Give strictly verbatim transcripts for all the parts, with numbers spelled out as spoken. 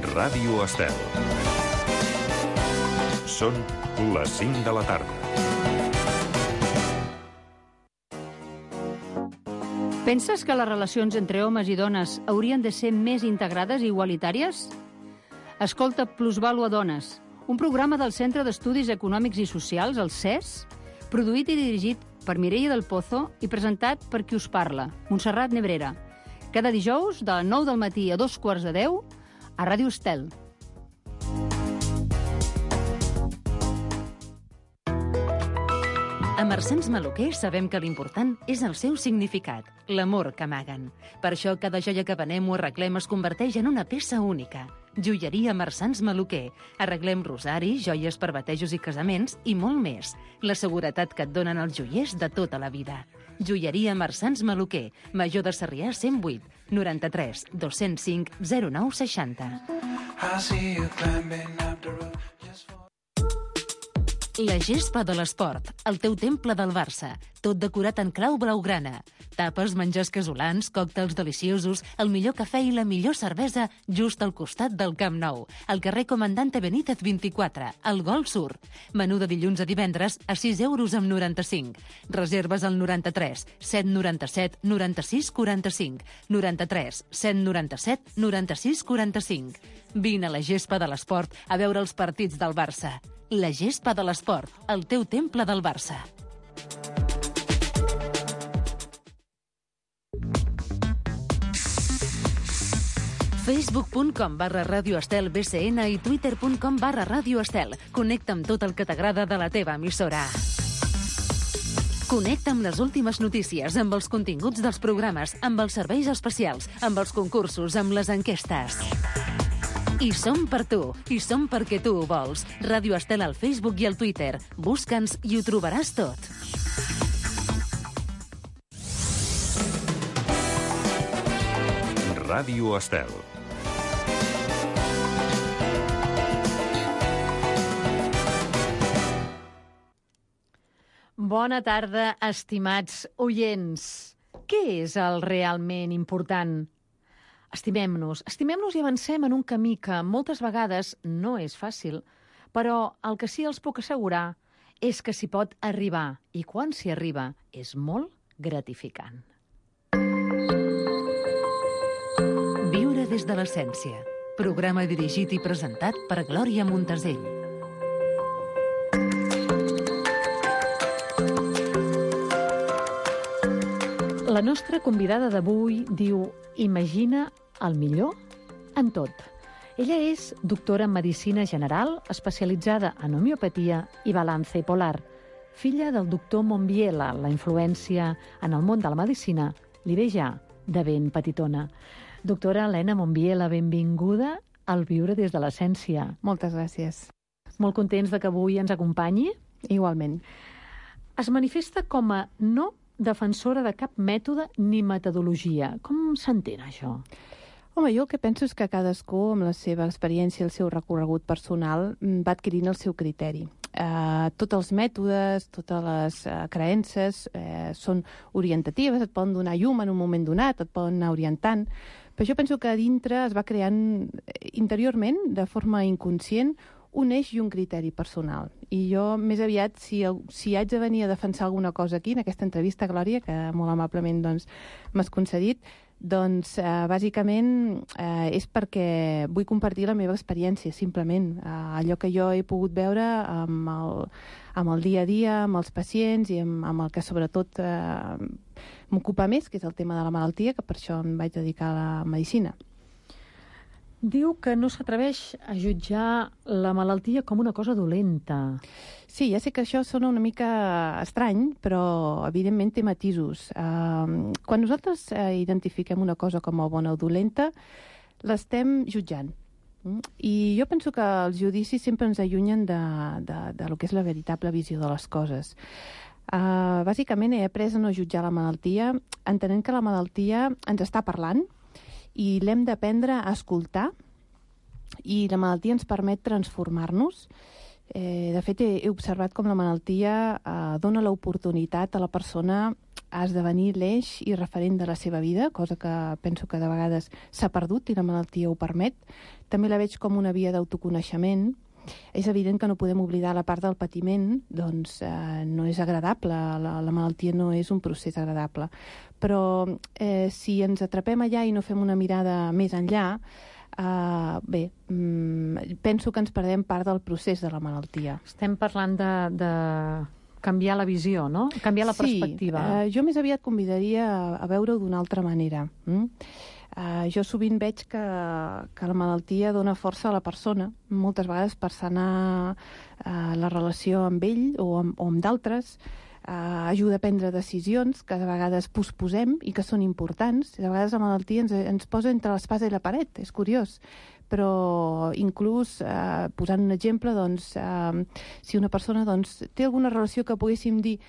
Ràdio Estel. Són les cinc de la tarda. Penses que les relacions entre homes i dones haurien de ser més integrades i igualitàries? Escolta Plusvàlua Dones, un programa del Centre d'Estudis Econòmics i Socials, el C E S, produït i dirigit per Mireia del Pozo i presentat per qui us parla, Montserrat Nebrera. Cada dijous, de nou del matí a dos quarts de deu, a Ràdio Estel. A Marsans Maluquer sabem que l'important és el seu significat, l'amor que amaguen. Per això cada joia que venem o arreglem es converteix en una peça única. Joieria Marsans Maluquer. Arreglem rosaris, joies per batejos i casaments i molt més. La seguretat que et donen els joiers de tota la vida. Joieria Marsans Maluquer. Major de Sarrià cent vuit, noranta-tres, dos-cents cinc, zero nou seixanta. La gespa de l'esport, el teu temple del Barça, tot decorat en clau blaugrana. Tapes, menjars casolans, còctels deliciosos, el millor cafè i la millor cervesa just al costat del Camp Nou, al carrer Comandante Benítez vint-i-quatre, al Gol Sur. Menú de dilluns a divendres a sis euros amb noranta-cinc. Reserves al noranta-tres, set noranta-set, noranta-sis quaranta-cinc, noranta-tres, set noranta-set, noranta-sis quaranta-cinc. Vine a la gespa de l'esport a veure els partits del Barça. La gespa de l'esport, el teu temple del Barça. facebook punt com barra Ràdio Estel B C N i twitter punt com barra Ràdio Estel. Connecta amb tot el que t'agrada de la teva emissora. Connecta amb les últimes notícies, amb els continguts dels programes, amb els serveis especials, amb els concursos, amb les enquestes. I som per tu, i som perquè tu ho vols. Ràdio Estel al Facebook i al Twitter. Busca'ns i ho trobaràs tot. Ràdio Estel. Bona tarda, estimats oients. Què és el realment important? Estimem-nos, estimem-nos i avancem en un camí que moltes vegades no és fàcil, però el que sí els puc assegurar és que s'hi pot arribar, i quan s'hi arriba és molt gratificant. Viure des de l'essència. Programa dirigit i presentat per Glòria Montesell. La nostra convidada d'avui diu: imagina el millor en tot. Ella és doctora en Medicina General, especialitzada en homeopatia i balance polar. Filla del doctor Monbiela, la influència en el món de la medicina li ve ja de ben petitona. Doctora Helena Monbiela, benvinguda al Viure des de l'Essència. Moltes gràcies. Molt contents de que avui ens acompanyi. Igualment. Es manifesta com a no defensora de cap mètode ni metodologia. Com s'entén això? Home, jo el que penso és que cadascú, amb la seva experiència i el seu recorregut personal, va adquirint el seu criteri. Uh, tots els mètodes, totes les uh, creences uh, són orientatives, et poden donar llum en un moment donat, et poden anar orientant, però jo penso que a dintre es va creant interiorment, de forma inconscient, un eix i un criteri personal. I jo, més aviat, si, si haig de venir a defensar alguna cosa aquí, en aquesta entrevista, Glòria, que molt amablement doncs, m'has concedit, doncs, eh, bàsicament, eh, és perquè vull compartir la meva experiència, simplement. Eh, allò que jo he pogut veure amb el, amb el dia a dia, amb els pacients i amb, amb el que, sobretot, eh, m'ocupa més, que és el tema de la malaltia, que per això em vaig dedicar a la medicina. Diu que no s'atreveix a jutjar la malaltia com una cosa dolenta. Sí, ja sé que això sona una mica estrany, però evidentment té matisos. Uh, quan nosaltres uh, identifiquem una cosa com a bona o dolenta, l'estem jutjant. Mm? I jo penso que els judicis sempre ens allunyen de, de, de lo que és la veritable visió de les coses. Uh, bàsicament he après a no jutjar la malaltia, entenent que la malaltia ens està parlant, i l'hem d'aprendre a escoltar, i la malaltia ens permet transformar-nos. Eh, de fet, he, he observat com la malaltia eh, dona l'oportunitat a la persona a esdevenir l'eix i referent de la seva vida, cosa que penso que de vegades s'ha perdut i la malaltia ho permet. També la veig com una via d'autoconeixement. És evident que no podem oblidar la part del patiment, doncs eh, no és agradable, la, la malaltia no és un procés agradable. Però eh, si ens atrapem allà i no fem una mirada més enllà, eh, bé, mm, penso que ens perdem part del procés de la malaltia. Estem parlant de, de canviar la visió, no? Canviar la perspectiva. Sí, eh, jo més aviat convidaria a, a veure-ho d'una altra manera. Mm? Uh, jo sovint veig que, que la malaltia dona força a la persona, moltes vegades per sanar uh, la relació amb ell o amb, o amb d'altres, uh, ajuda a prendre decisions que de vegades posposem i que són importants. De vegades la malaltia ens, ens posa entre l'espasa i la paret, és curiós. Però inclús, eh, posant un exemple, doncs, eh, si una persona doncs, té alguna relació que poguéssim dir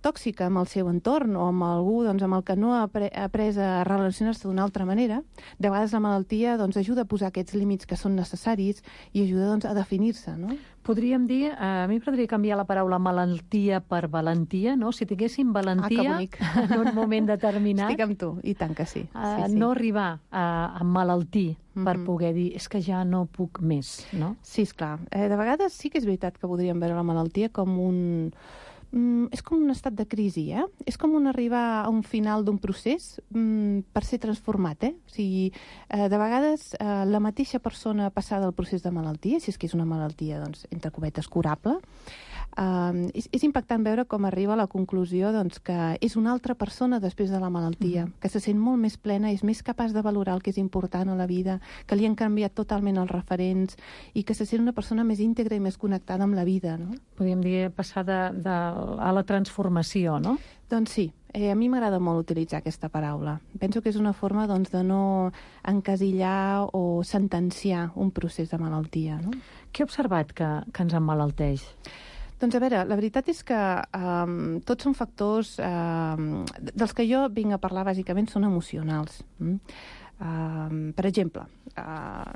tòxica amb el seu entorn o amb algú doncs, amb el que no ha après, après a relacionar-se d'una altra manera, de vegades la malaltia doncs, ajuda a posar aquests límits que són necessaris i ajuda doncs, a definir-se, no? Podríem dir, eh, a mi m'agradaria canviar la paraula malaltia per valentia, no? Si tinguéssim valentia ah, en un moment determinat... Estic amb tu, i tant que sí. Uh, sí, sí. No arribar a, a malaltir mm-hmm. per poder dir és que ja no puc més, no? Sí, esclar. Eh, de vegades sí que és veritat que podríem veure la malaltia com un... Mm, és com un estat de crisi, eh? És com un arribar a un final d'un procés mm, per ser transformat, eh? O sigui, eh, de vegades eh, la mateixa persona passada del procés de malaltia, si és que és una malaltia, doncs, entre cometes, curable, eh, és, és impactant veure com arriba a la conclusió doncs, que és una altra persona després de la malaltia, mm. que se sent molt més plena, és més capaç de valorar el que és important a la vida, que li han canviat totalment els referents i que se sent una persona més íntegra i més connectada amb la vida, no? Podríem dir passar de, de a la transformació, no? Doncs sí, eh, a mi m'agrada molt utilitzar aquesta paraula. Penso que és una forma doncs, de no encasillar o sentenciar un procés de malaltia, no? Què he observat que, que ens emmalalteix? Doncs a veure, la veritat és que um, tots són factors um, dels que jo vinc a parlar bàsicament són emocionals. Mm? Uh, per exemple, uh,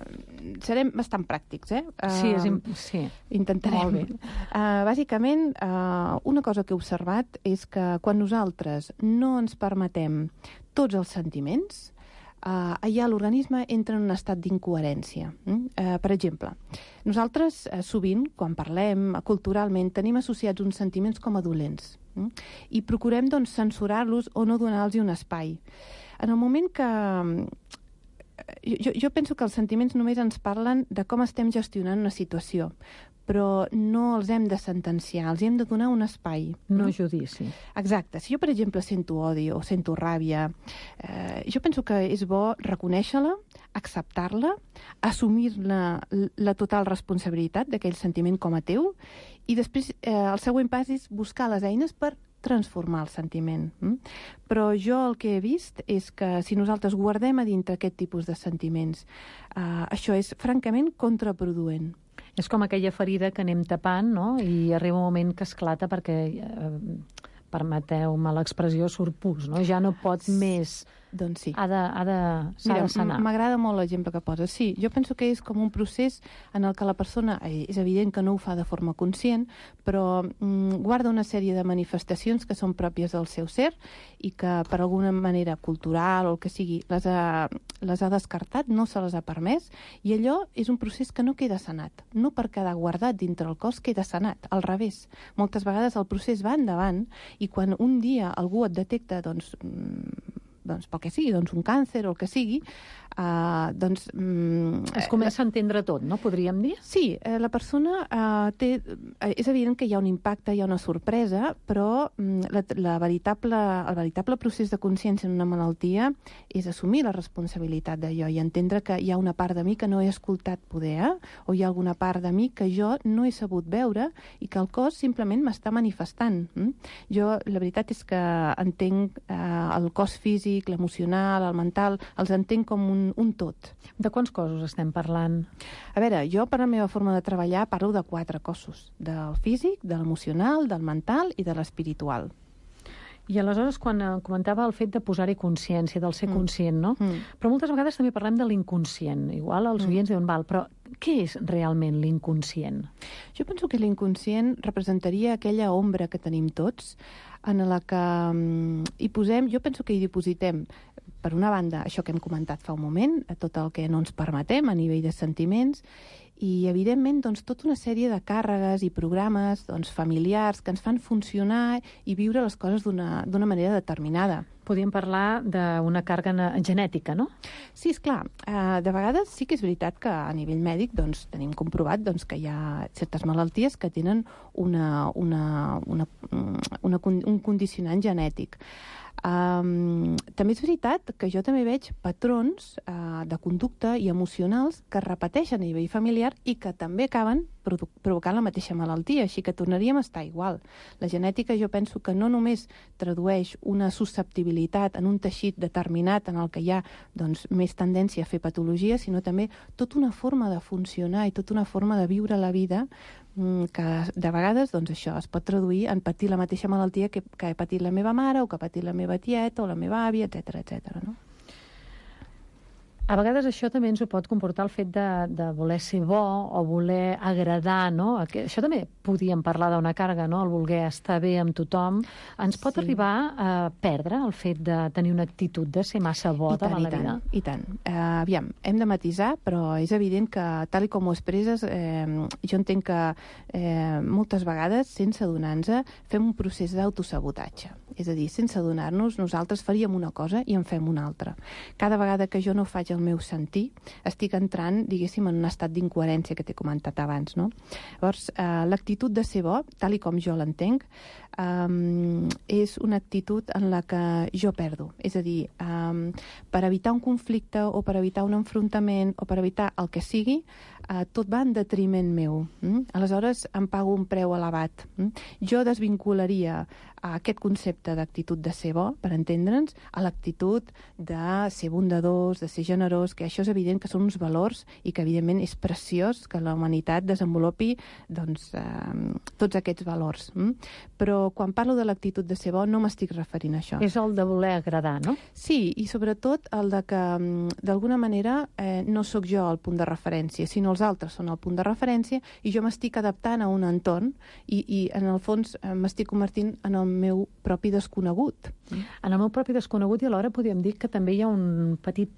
serem bastant pràctics, eh? Uh, sí, és imp- sí. Intentarem. Molt bé. Uh, bàsicament, uh, una cosa que he observat és que quan nosaltres no ens permetem tots els sentiments, uh, allà l'organisme entra en un estat d'incoherència. Mm? Uh, per exemple, nosaltres uh, sovint, quan parlem culturalment, tenim associats uns sentiments com a dolents. Mm? I procurem doncs, censurar-los o no donar-los un espai. En el moment que... Jo, jo penso que els sentiments només ens parlen de com estem gestionant una situació, però no els hem de sentenciar, els hem de donar un espai. No judici. Exacte. Si jo, per exemple, sento odi o sento ràbia, eh, jo penso que és bo reconèixer-la, acceptar-la, assumir-ne la total responsabilitat d'aquell sentiment com a teu, i després eh, el següent pas és buscar les eines per transformar el sentiment. Mm? Però jo el que he vist és que si nosaltres guardem a dintre aquest tipus de sentiments, eh, això és francament contraproduent. És com aquella ferida que anem tapant, no? I arriba un moment que esclata perquè, eh, permeteu-me l'expressió, surt pus, no? Ja no pot més... Doncs sí. Ha de, ha de, s'ha Mira, de sanar. M'agrada molt l'exemple que poses. Sí, jo penso que és com un procés en el que la persona, és evident que no ho fa de forma conscient, però mm, guarda una sèrie de manifestacions que són pròpies del seu ser i que per alguna manera cultural o el que sigui les ha, les ha descartat, no se les ha permès, i allò és un procés que no queda sanat. No per quedar guardat dintre el cos queda sanat, al revés. Moltes vegades el procés va endavant i quan un dia algú et detecta, doncs, doncs pel que sigui, doncs un càncer o el que sigui, uh, doncs... Um, es comença a entendre tot, no? Podríem dir? Sí, eh, la persona uh, té... Eh, és evident que hi ha un impacte, hi ha una sorpresa, però um, la, la veritable, el veritable procés de consciència en una malaltia és assumir la responsabilitat d'allò i entendre que hi ha una part de mi que no he escoltat poder, eh? O hi ha alguna part de mi que jo no he sabut veure i que el cos simplement m'està manifestant. Mm? Jo, la veritat és que entenc eh, el cos físic, l'emocional, el mental, els entenc com un, un tot. De quants cossos estem parlant? A veure, jo per la meva forma de treballar parlo de quatre cossos, del físic, de l'emocional, del mental i de l'espiritual. I aleshores, quan comentava el fet de posar-hi consciència, del ser mm. conscient, no? Mm. Però moltes vegades també parlem de l'inconscient. Igual els oients mm. diuen, val, però què és realment l'inconscient? Jo penso que l'inconscient representaria aquella ombra que tenim tots, en la que um, hi posem, jo penso que hi dipositem, per una banda, això que hem comentat fa un moment, tot el que no ens permetem a nivell de sentiments, i, evidentment, doncs, tota una sèrie de càrregues i programes doncs, familiars que ens fan funcionar i viure les coses d'una d'una manera determinada. Podríem parlar d'una càrrega genètica, no? Sí, esclar. Uh, de vegades sí que és veritat que a nivell mèdic doncs, tenim comprovat doncs, que hi ha certes malalties que tenen una, una, una, una, un condicionant genètic. Um, també és veritat que jo també veig patrons uh, de conducta i emocionals que es repeteixen a nivell familiar i que també acaben produ- provocant la mateixa malaltia, així que tornaríem a estar igual. La genètica jo penso que no només tradueix una susceptibilitat en un teixit determinat en el que hi ha doncs, més tendència a fer patologia, sinó també tota una forma de funcionar i tota una forma de viure la vida que de vegades doncs, això es pot traduir en patir la mateixa malaltia que, que he patit la meva mare o que ha patit la meva tieta o la meva àvia, etcètera, etcètera, no? A vegades això també ens ho pot comportar el fet de, de voler ser bo o voler agradar, no? Això també podíem parlar d'una càrrega, no? El voler estar bé amb tothom. Ens pot sí. arribar a perdre el fet de tenir una actitud de ser massa bo I tant, davant la i vida? tant, i tant. Uh, aviam, hem de matisar, però és evident que, tal i com ho expresses, eh, jo entenc que eh, moltes vegades, sense adonar-nos, fem un procés d'autosabotatge. És a dir, sense adonar-nos, nosaltres faríem una cosa i en fem una altra. Cada vegada que jo no faig el meu sentir, estic entrant, diguéssim, en un estat d'incoherència que t'he comentat abans, no? Llavors, eh, l'actitud de ser bo, tal i com jo l'entenc, um, és una actitud en la que jo perdo. És a dir, um, per evitar un conflicte o per evitar un enfrontament o per evitar el que sigui, uh, tot va en detriment meu. Mm? Aleshores, em pago un preu elevat. Mm? Jo desvincularia a aquest concepte d'actitud de ser bo, per entendre'ns, a l'actitud de ser bondadors, de ser generós, que això és evident que són uns valors i que evidentment és preciós que la humanitat desenvolupi doncs, eh, tots aquests valors. Mm? Però quan parlo de l'actitud de ser bo no m'estic referint a això. És el de voler agradar, no? Sí, i sobretot el de que d'alguna manera eh, no sóc jo el punt de referència, sinó els altres són el punt de referència i jo m'estic adaptant a un entorn i, i en el fons eh, m'estic convertint en el meu propi desconegut. En el meu propi desconegut i alhora podríem dir que també hi ha un petit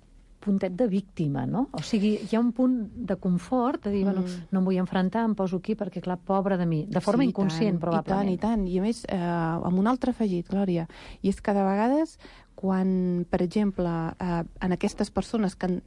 puntet de víctima, no? O sigui, hi ha un punt de confort, de dir, mm. bueno, no em vull enfrontar, em poso aquí perquè, clar, pobre de mi. De forma sí, inconscient, tant, probablement. I tant, i tant. I a més, eh, amb un altre afegit, Glòria, i és que de vegades quan, per exemple, eh, en aquestes persones que han,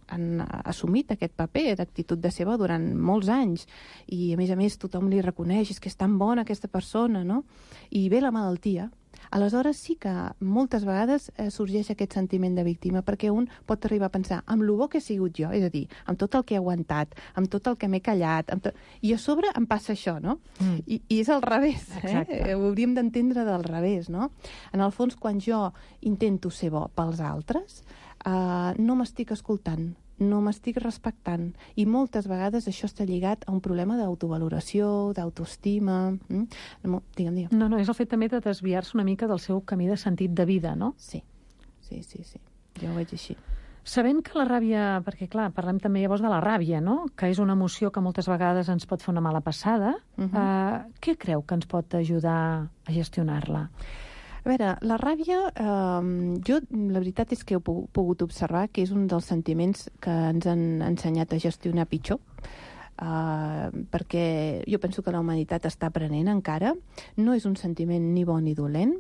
han assumit aquest paper d'actitud de seva durant molts anys i, a més a més, tothom li reconeix és que és tan bona aquesta persona, no? I ve la malaltia, aleshores sí que moltes vegades eh, sorgeix aquest sentiment de víctima, perquè un pot arribar a pensar amb lo bo que he sigut jo, és a dir, amb tot el que he aguantat, amb tot el que m'he callat, amb tot... i a sobre em passa això, no? Mm. I, I és al revés, eh? Ho hauríem d'entendre del revés, no? En el fons, quan jo intento ser bo pels altres, eh, no m'estic escoltant, no m'estic respectant, i moltes vegades això està lligat a un problema d'autovaloració, d'autoestima. Mm? Digue'm, digue'm. No, no, és el fet també de desviar-se una mica del seu camí de sentit de vida, no? Sí, sí, sí, sí. Jo ho veig així. Sabent que la ràbia, perquè clar, parlem també llavors de la ràbia, no? Que és una emoció que moltes vegades ens pot fer una mala passada, uh-huh. eh, què creu que ens pot ajudar a gestionar-la? A veure, la ràbia, eh, jo la veritat és que he pogut observar que és un dels sentiments que ens han ensenyat a gestionar pitjor, eh, perquè jo penso que la humanitat està aprenent encara. No és un sentiment ni bo ni dolent,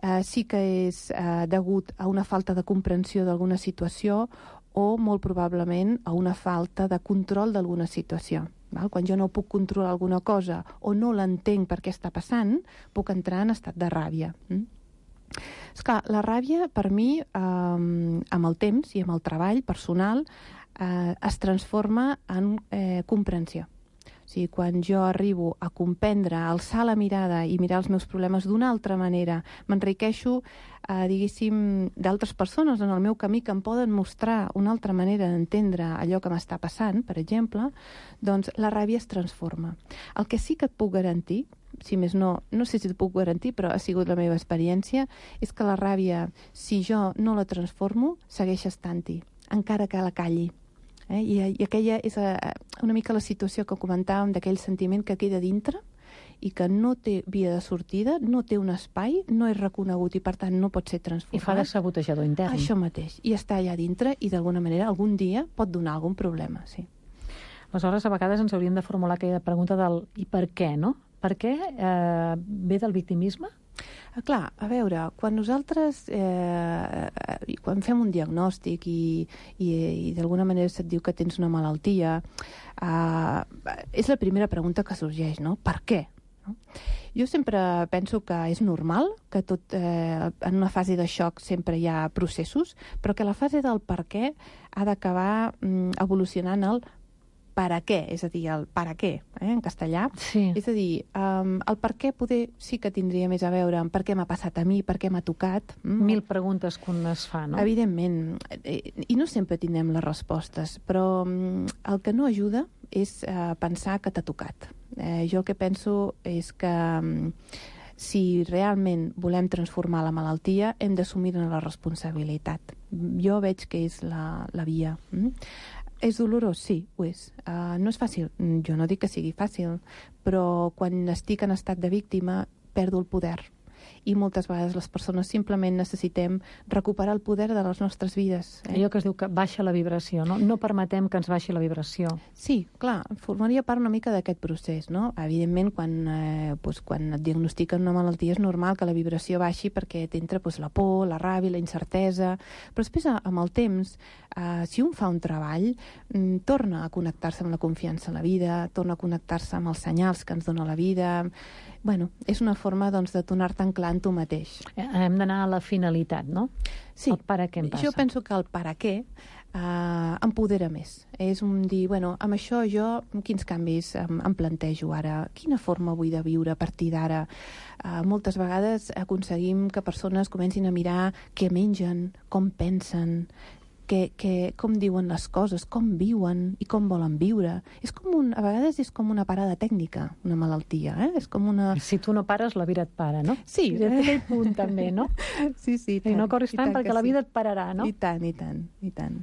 eh, sí que és eh, degut a una falta de comprensió d'alguna situació o molt probablement a una falta de control d'alguna situació. Val? Quan jo no puc controlar alguna cosa o no l'entenc per què està passant, puc entrar en estat de ràbia. Mm? Esclar, la ràbia, per mi, eh, amb el temps i amb el treball personal, eh, es transforma en eh, comprensió. O sigui, quan jo arribo a comprendre, a alçar la mirada i mirar els meus problemes d'una altra manera, m'enriqueixo, eh, diguéssim, d'altres persones en el meu camí que em poden mostrar una altra manera d'entendre allò que m'està passant, per exemple, doncs la ràbia es transforma. El que sí que et puc garantir, si més no, no sé si et puc garantir, però ha sigut la meva experiència, és que la ràbia, si jo no la transformo, segueix estant-hi, encara que la calli. Eh? I, I aquella és uh, una mica la situació que comentàvem d'aquell sentiment que queda dintre i que no té via de sortida, no té un espai, no és reconegut i, per tant, no pot ser transformat. I fa de sabotejador intern. Això mateix. I està allà dintre i, d'alguna manera, algun dia pot donar algun problema, sí. Aleshores, a vegades ens hauríem de formular aquella pregunta del i per què, no? Per què eh, ve del victimisme? Ah, clar, a veure, quan nosaltres eh, quan fem un diagnòstic i, i, i d'alguna manera se't diu que tens una malaltia, eh, és la primera pregunta que sorgeix, no? Per què? No? Jo sempre penso que és normal, que tot, eh, en una fase de xoc sempre hi ha processos, però que la fase del per què ha d'acabar mm, evolucionant el per a què, és a dir, el per a què, eh, en castellà. Sí. És a dir, um, el per què poder sí que tindria més a veure amb per què m'ha passat a mi, per què m'ha tocat. Mm. Mil preguntes que un es fa, no? Evidentment, i no sempre tindrem les respostes, però um, el que no ajuda és uh, pensar que t'ha tocat. Eh, jo el que penso és que um, si realment volem transformar la malaltia, hem d'assumir-ne la responsabilitat. Jo veig que és la, la via. Mm? És dolorós? Sí, ho és. Uh, no és fàcil? Jo no dic que sigui fàcil, però quan estic en estat de víctima perdo el poder. I moltes vegades les persones simplement necessitem recuperar el poder de les nostres vides. Eh? Allò que es diu que baixa la vibració, no? No permetem que ens baixi la vibració. Sí, clar, formaria part una mica d'aquest procés, no? Evidentment, quan, eh, doncs, quan et diagnostiquen una malaltia és normal que la vibració baixi perquè t'entra doncs, la por, la ràbia, la incertesa, però després, amb el temps, eh, si un fa un treball, mm, torna a connectar-se amb la confiança en la vida, torna a connectar-se amb els senyals que ens dona la vida. Bueno, és una forma doncs, de tornar-te en clar en tu mateix. Hem d'anar a la finalitat, no? Sí, el per a què em passa. Jo penso que el per a què eh, empodera més. És un dir, bueno, amb això jo quins canvis em, em plantejo ara? Quina forma vull de viure a partir d'ara? Eh, moltes vegades aconseguim que persones comencin a mirar què mengen, com pensen, que, que, com diuen les coses, com viuen i com volen viure. És com un, a vegades és com una parada tècnica, una malaltia. Eh? És com una... Si tu no pares, la vida et para, no? Sí. I té aquell punt també, no? Sí, sí. I no corris tant perquè la vida et pararà, no? I tant, i tant, i tant.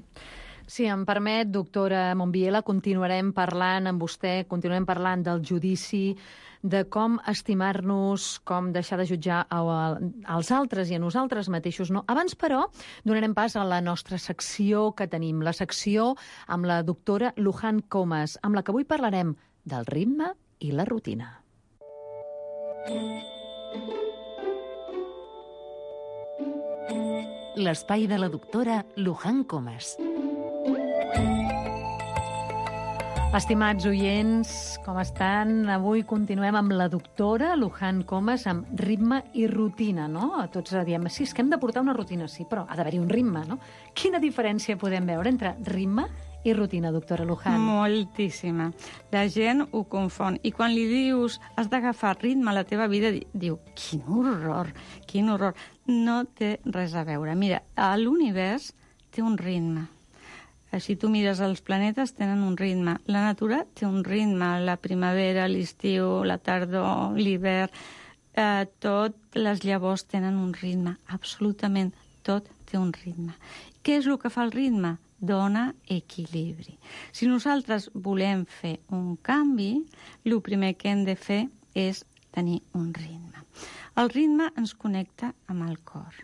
Si em permet, doctora Monbiela, continuarem parlant amb vostè, continuarem parlant del judici, de com estimar-nos, com deixar de jutjar als altres i a nosaltres mateixos. No. Abans, però, donarem pas a la nostra secció que tenim, la secció amb la doctora Luján Comas, amb la que avui parlarem del ritme i la rutina. L'espai de la doctora Luján Comas. Estimats oients, com estan? Avui continuem amb la doctora Luján Comas amb ritme i rutina, no? Tots diem, sí, és que hem de portar una rutina, sí, però ha d'haver-hi un ritme, no? Quina diferència podem veure entre ritme i rutina, doctora Luján? Moltíssima. La gent ho confon. I quan li dius has d'agafar ritme a la teva vida, diu, quin horror, quin horror. No té res a veure. Mira, l'univers té un ritme. Si tu mires els planetes, tenen un ritme. La natura té un ritme. La primavera, l'estiu, la tardor, l'hivern, eh, tot, les llavors tenen un ritme. Absolutament tot té un ritme. Què és el que fa el ritme? Dona equilibri. Si nosaltres volem fer un canvi, el primer que hem de fer és tenir un ritme. El ritme ens connecta amb el cor.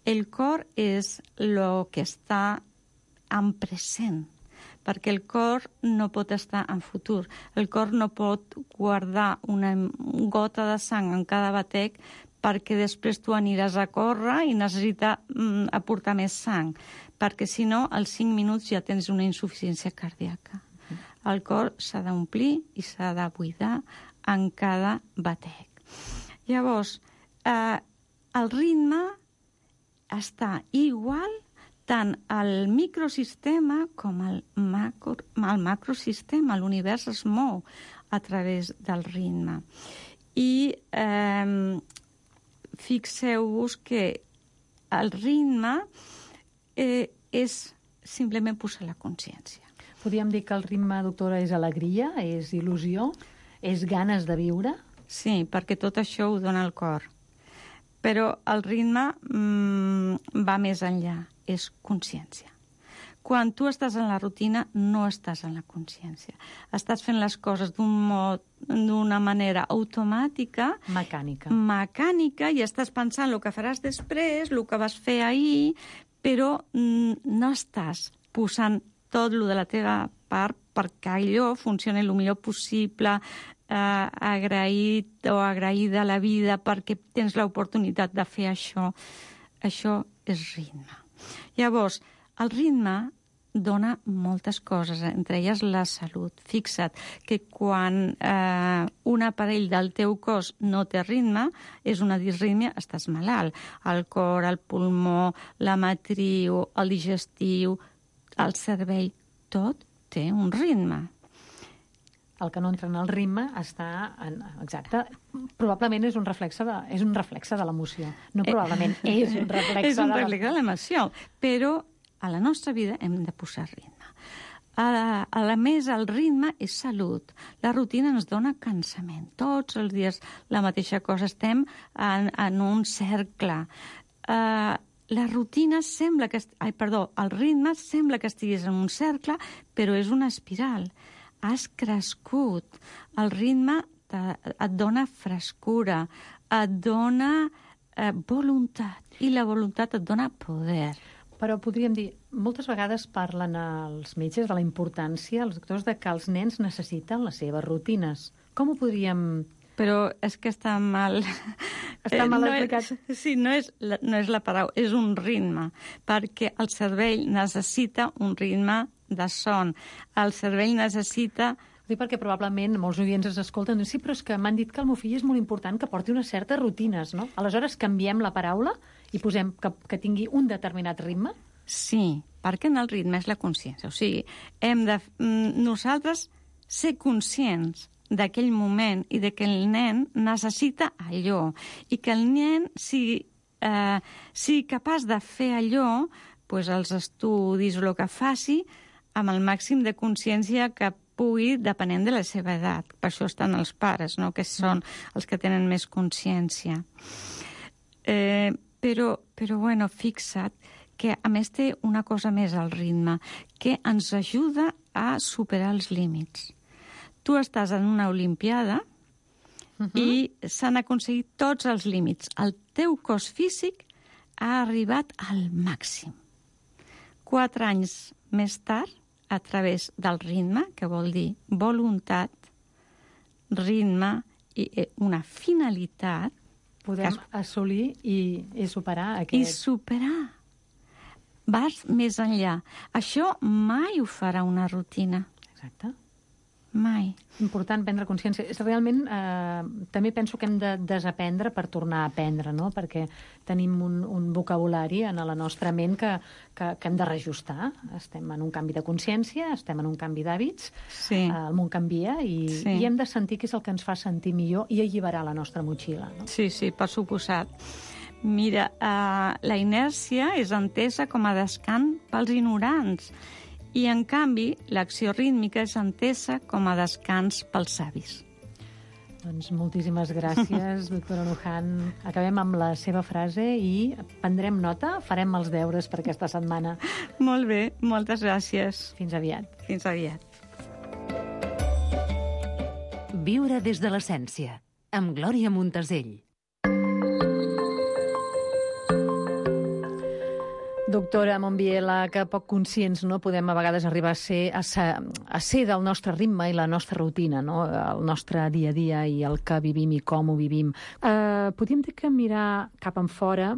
El cor és el que està en present, perquè el cor no pot estar en futur. El cor no pot guardar una gota de sang en cada batec perquè després tu aniràs a córrer i necessita mm, aportar més sang, perquè si no, als cinc minuts ja tens una insuficiència cardíaca. El cor s'ha d'omplir i s'ha de buidar en cada batec. Llavors, eh, el ritme està igual tant al microsistema com al, macro, al macrosistema. L'univers es mou a través del ritme. I eh, fixeu-vos que el ritme eh, és simplement posar la consciència. Podríem dir que el ritme, doctora, és alegria, és il·lusió, és ganes de viure? Sí, perquè tot això ho dona el cor. Però el ritme mm, va més enllà. És consciència. Quan tu estàs en la rutina, no estàs en la consciència. Estàs fent les coses d'un mod, d'una manera automàtica, Mecànica. mecànica, i estàs pensant el que faràs després, el que vas fer ahir, però mm, no estàs posant tot el de la teva part perquè allò funcioni el millor possible, eh, agraït o agraïda a la vida perquè tens l'oportunitat de fer això. Això és ritme. Llavors, el ritme dona moltes coses, entre elles la salut. Fixa't que quan eh, un aparell del teu cos no té ritme, és una disrítmia, estàs malalt. El cor, el pulmó, la matriu, el digestiu, el cervell, tot té un ritme. El que no entra en el ritme està... En, exacte. Probablement és un reflexe de, és un reflexe de l'emoció. No probablement, eh, és un reflexe és un de reflexe de l'emoció. Però a la nostra vida hem de posar ritme. A, a la més, el ritme és salut. La rutina ens dona cansament. Tots els dies la mateixa cosa. Estem en, en un cercle. Uh, la rutina sembla que... Ai, perdó, el ritme sembla que estiguis en un cercle, però és una espiral. Has crescut. El ritme te, et dona frescura, et dona eh, voluntat, i la voluntat et dona poder. Però podríem dir, moltes vegades parlen els metges de la importància, els doctors, de que els nens necessiten les seves rutines. Com ho podríem... Però és que està mal... Està mal no explicat. És, sí, no és, la, no és la paraula, és un ritme, perquè el cervell necessita un ritme de son. El cervell necessita... Ho dic perquè probablement molts oients ens escolten i diuen, sí, però és que m'han dit que el meu fill és molt important que porti unes certes rutines, no? Aleshores canviem la paraula i posem que, que tingui un determinat ritme? Sí, perquè en el ritme és la consciència. O sigui, hem de nosaltres ser conscients d'aquell moment i de que el nen necessita allò i que el nen sigui, eh, sigui capaç de fer allò, pues, els estudis o el que faci, amb el màxim de consciència que pugui, depenent de la seva edat. Per això estan els pares, no?, que són els que tenen més consciència. Eh, però, però, bueno, fixa't que a més té una cosa més al ritme, que ens ajuda a superar els límits. Tu estàs en una olimpiada uh-huh. i s'han aconseguit tots els límits. El teu cos físic ha arribat al màxim. Quatre anys més tard, a través del ritme, que vol dir voluntat, ritme i una finalitat... Podem es... assolir i, i superar aquest... I superar. Vas més enllà. Això mai ho farà una rutina. Exacte. Mai. Important prendre consciència. És realment, eh, també penso que hem de desaprendre per tornar a aprendre, no? Perquè tenim un, un vocabulari en la nostra ment que, que, que hem de reajustar. Estem en un canvi de consciència, estem en un canvi d'hàbits, sí. eh, el món canvia i, sí. i hem de sentir que és el que ens fa sentir millor i alliberar la nostra motxilla. No? Sí, sí, per suposat. Mira, eh, la inèrcia és entesa com a descans pels ignorants. I, en canvi, l'acció rítmica és entesa com a descans pels savis. Doncs moltíssimes gràcies, doctora Lujan. Acabem amb la seva frase i prendrem nota, farem els deures per aquesta setmana. Molt bé, moltes gràcies. Fins aviat. Fins aviat. Viure des de l'essència, amb Glòria Montesell. Doctora Monbiela, que poc conscients no podem a vegades arribar a ser, a ser, a ser del nostre ritme i la nostra rutina, no? El nostre dia a dia i el que vivim i com ho vivim. Eh, podríem dir que mirar cap en fora,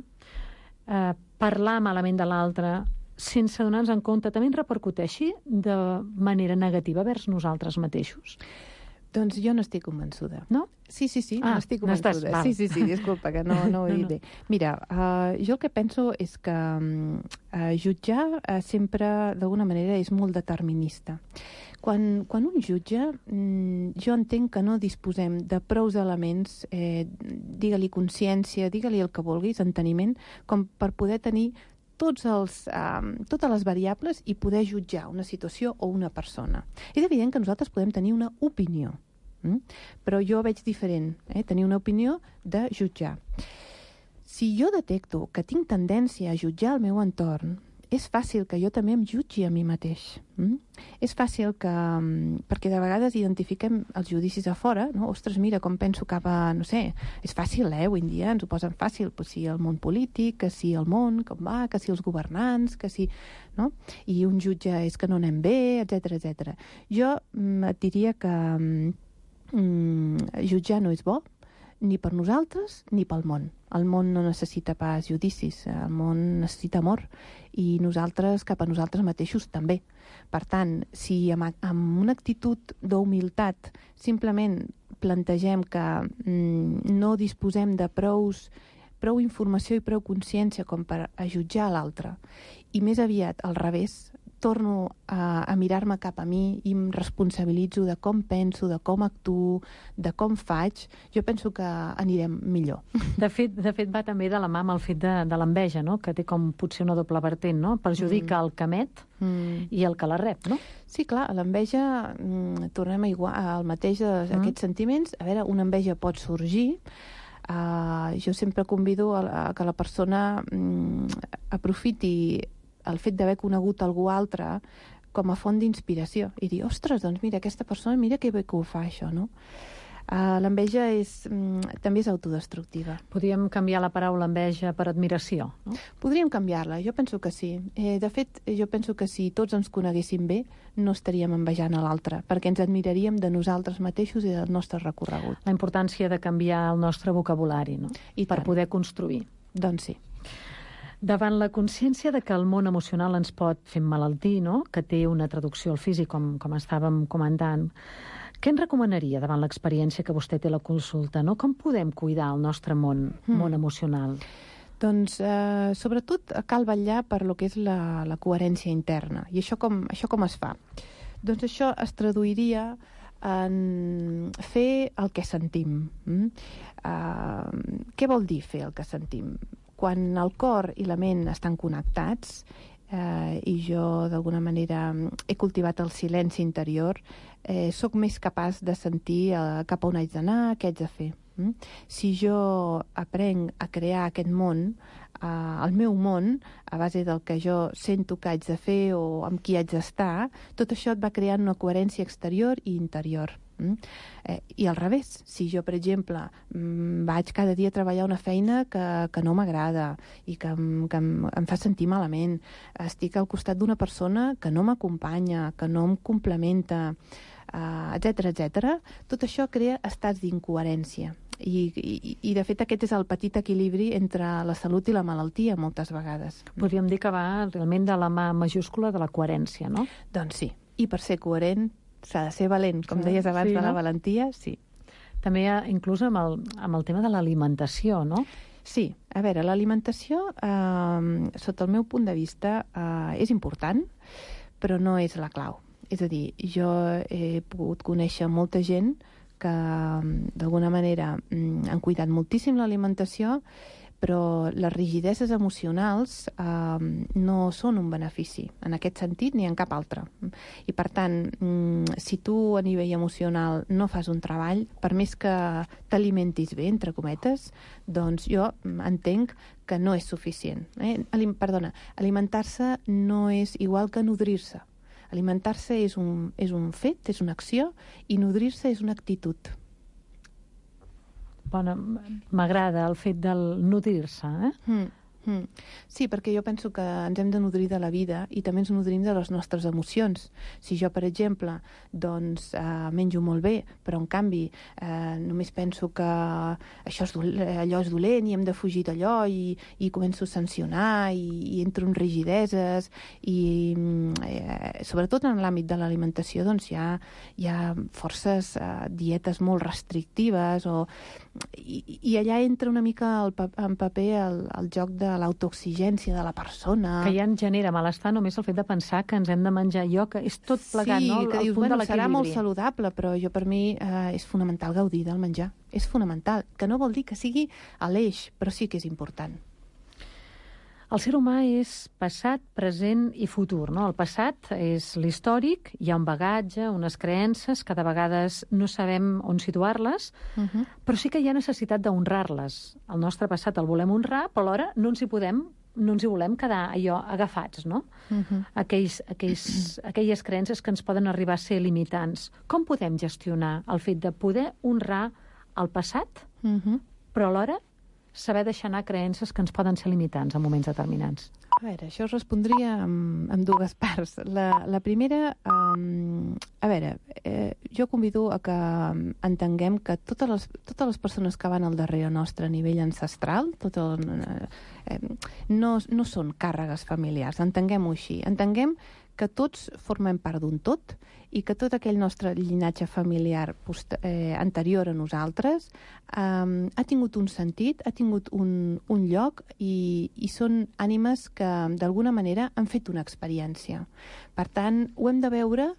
eh, parlar malament de l'altre, sense donar-nos en compte, també ens repercuteixi de manera negativa vers nosaltres mateixos? Doncs jo no estic convençuda. No? Sí, sí, sí, ah, no estic convençuda. No estàs, sí, sí, sí, disculpa, que no, no ho he dit bé. Mira, uh, jo el que penso és que uh, jutjar uh, sempre, d'alguna manera, és molt determinista. Quan, quan un jutja, mm, jo entenc que no disposem de prous elements, eh, digue-li consciència, digue-li el que vulguis, enteniment, com per poder tenir tots els, um, totes les variables i poder jutjar una situació o una persona. És evident que nosaltres podem tenir una opinió, mm? però jo veig diferent, eh? tenir una opinió de jutjar. Si jo detecto que tinc tendència a jutjar el meu entorn, és fàcil que jo també em jutgi a mi mateix. Mm? És fàcil que... Perquè de vegades identifiquem els judicis a fora, no? Ostres, mira com penso cap a... No sé, és fàcil, eh? Avui en dia ens ho posen fàcil. Pues si el món polític, que si el món, com va, que si els governants, que si... No? I un jutge és que no anem bé, etcètera, etcètera. Jo mm, et diria que mm, jutjar no és bo, ni per nosaltres ni pel món. El món no necessita pas judicis, el món necessita amor, i nosaltres cap a nosaltres mateixos també. Per tant, si amb, amb una actitud d'humilitat simplement plantegem que mm, no disposem de prous, prou informació i prou consciència com per a jutjar l'altre, i més aviat al revés, torno a, a mirar-me cap a mi i em responsabilitzo de com penso, de com actuo, de com faig, jo penso que anirem millor. De fet, de fet va també de la mà amb el fet de, de l'enveja, no? Que té com potser una doble vertent, no? Perjudica mm. el que emet mm. i el que la rep, no? Sí, clar, l'enveja, mm, tornem a igual, al mateix mm. aquests sentiments. A veure, una enveja pot sorgir. Uh, jo sempre convido a, a que la persona mm, aprofiti el fet d'haver conegut algú altre com a font d'inspiració i dir, ostres, doncs mira, aquesta persona, mira que bé que ho fa, això, no? Uh, l'enveja és, mm, també és autodestructiva. Podríem canviar la paraula enveja per admiració, no? Podríem canviar-la, jo penso que sí. Eh, de fet, jo penso que si tots ens coneguéssim bé, no estaríem envejant a l'altre, perquè ens admiraríem de nosaltres mateixos i del nostre recorregut. La importància de canviar el nostre vocabulari, no? I per tant. Poder construir. Doncs sí. Davant la consciència de que el món emocional ens pot fer emmalaltir, no? Que té una traducció al físic, com, com estàvem comentant, què ens recomanaria davant l'experiència que vostè té a la consulta, no? Com podem cuidar el nostre món, mm. món emocional? Doncs, eh, sobretot, cal vetllar per lo que és la, la coherència interna. I això com, això com es fa? Doncs això es traduiria en fer el que sentim. Mm? Uh, què vol dir fer el que sentim? Quan el cor i la ment estan connectats, eh, i jo d'alguna manera he cultivat el silenci interior, eh, sóc més capaç de sentir eh, cap a on haig d'anar, què haig de fer. Mm? Si jo aprenc a crear aquest món, eh, el meu món, a base del que jo sento que haig de fer o amb qui haig d'estar, tot això et va creant una coherència exterior i interior. Mm? Eh, I al revés, si jo, per exemple, mm, vaig cada dia a treballar una feina que, que no m'agrada i que, em, que em, em fa sentir malament, estic al costat d'una persona que no m'acompanya, que no em complementa, eh, etcètera, etcètera, tot això crea estats d'incoherència. I, i, I, de fet, aquest és el petit equilibri entre la salut i la malaltia, moltes vegades. Podríem dir que va realment de la mà majúscula de la coherència, no? Doncs sí. I per ser coherent s'ha de ser valent, com deies abans, sí, de la no? valentia, sí. També inclús amb el, amb el tema de l'alimentació, no? Sí, a veure, l'alimentació, eh, sota el meu punt de vista, eh, és important, però no és la clau. És a dir, jo he pogut conèixer molta gent que d'alguna manera han cuidat moltíssim l'alimentació, però les rigideses emocionals eh, no són un benefici en aquest sentit ni en cap altre. I per tant, si tu a nivell emocional no fas un treball, per més que t'alimentis bé, entre cometes, doncs jo entenc que no és suficient. Eh? Alim- perdona, alimentar-se no és igual que nodrir-se. Alimentar-se és un, és un fet, és una acció, i nodrir-se és una actitud. Bueno, m'agrada el fet del nodrir-se, eh? Mm, mm. Sí, perquè jo penso que ens hem de nodrir de la vida i també ens nodrim de les nostres emocions. Si jo, per exemple, doncs, eh, menjo molt bé, però en canvi eh, només penso que això és dolent, allò és dolent i hem de fugir d'allò i, i començo a sancionar i, i entro en rigideses i eh, sobretot en l'àmbit de l'alimentació doncs hi ha, hi ha forces eh, dietes molt restrictives o I, i allà entra una mica el, en paper el, el joc de l'autoexigència de la persona. Que ja ens genera malestar només el fet de pensar que ens hem de menjar allò, que és tot plegat, sí, no? Sí, que dius, punt bueno, de serà molt saludable, però jo per mi eh, és fonamental gaudir del menjar. És fonamental, que no vol dir que sigui a l'eix, però sí que és important. El ser humà és passat, present i futur, no? El passat és l'històric, hi ha un bagatge, unes creences, que de vegades no sabem on situar-les, uh -huh. però sí que hi ha necessitat d'honrar-les. El nostre passat el volem honrar, però alhora no ens hi podem no ens hi volem quedar allò agafats, no? Uh-huh. Aquells, aquells, aquelles creences que ens poden arribar a ser limitants. Com podem gestionar el fet de poder honrar el passat, Uh-huh. però alhora saber deixar anar creences que ens poden ser limitants en moments determinants? A veure, això es respondria amb, amb dues parts. La, la primera, um, a veure, eh, jo convido a que entenguem que totes les, totes les persones que van al darrere nostre a nivell ancestral, tot el, eh, no, no són càrregues familiars, entenguem-ho així. Entenguem que tots formem part d'un tot i que tot aquell nostre llinatge familiar post, eh, anterior a nosaltres eh, ha tingut un sentit, ha tingut un, un lloc i, i són ànimes que d'alguna manera han fet una experiència. Per tant, ho hem de veure.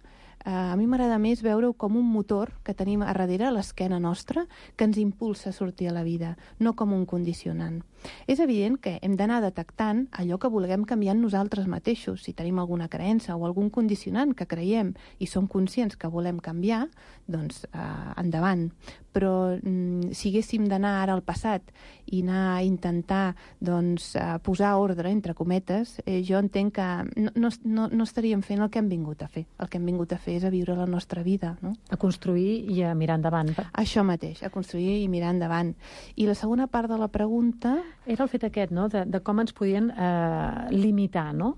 Uh, a mi m'agrada més veure-ho com un motor que tenim a darrere, a l'esquena nostra, que ens impulsa a sortir a la vida, no com un condicionant. És evident que hem d'anar detectant allò que vulguem canviar en nosaltres mateixos. Si tenim alguna creença o algun condicionant que creiem i som conscients que volem canviar, doncs uh, endavant. Però mm, si haguéssim d'anar ara al passat i anar a intentar doncs, uh, posar ordre, entre cometes, eh, jo entenc que no, no, no, no estaríem fent el que hem vingut a fer. El que hem vingut a fer és a viure la nostra vida, no? A construir i a mirar endavant. Això mateix, a construir i mirar endavant. I la segona part de la pregunta... Era el fet aquest, no?, de, de com ens podien eh, limitar, no?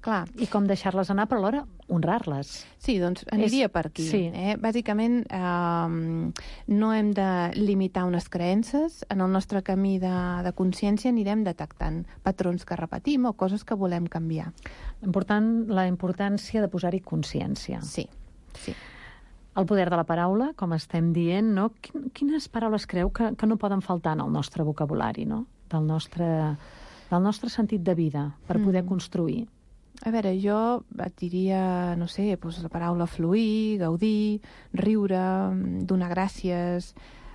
Clar. I com deixar-les anar, però alhora honrar-les. Sí, doncs aniria És... per aquí. Sí. Eh? Bàsicament, eh, no hem de limitar unes creences. En el nostre camí de, de consciència anirem detectant patrons que repetim o coses que volem canviar. Important, la importància de posar-hi consciència. Sí, sí. El poder de la paraula, com estem dient, no? Quines paraules creu que, que no poden faltar en el nostre vocabulari, no? Del nostre, del nostre sentit de vida, per poder mm. construir? A veure, jo et diria, no sé, doncs la paraula fluir, gaudir, riure, donar gràcies.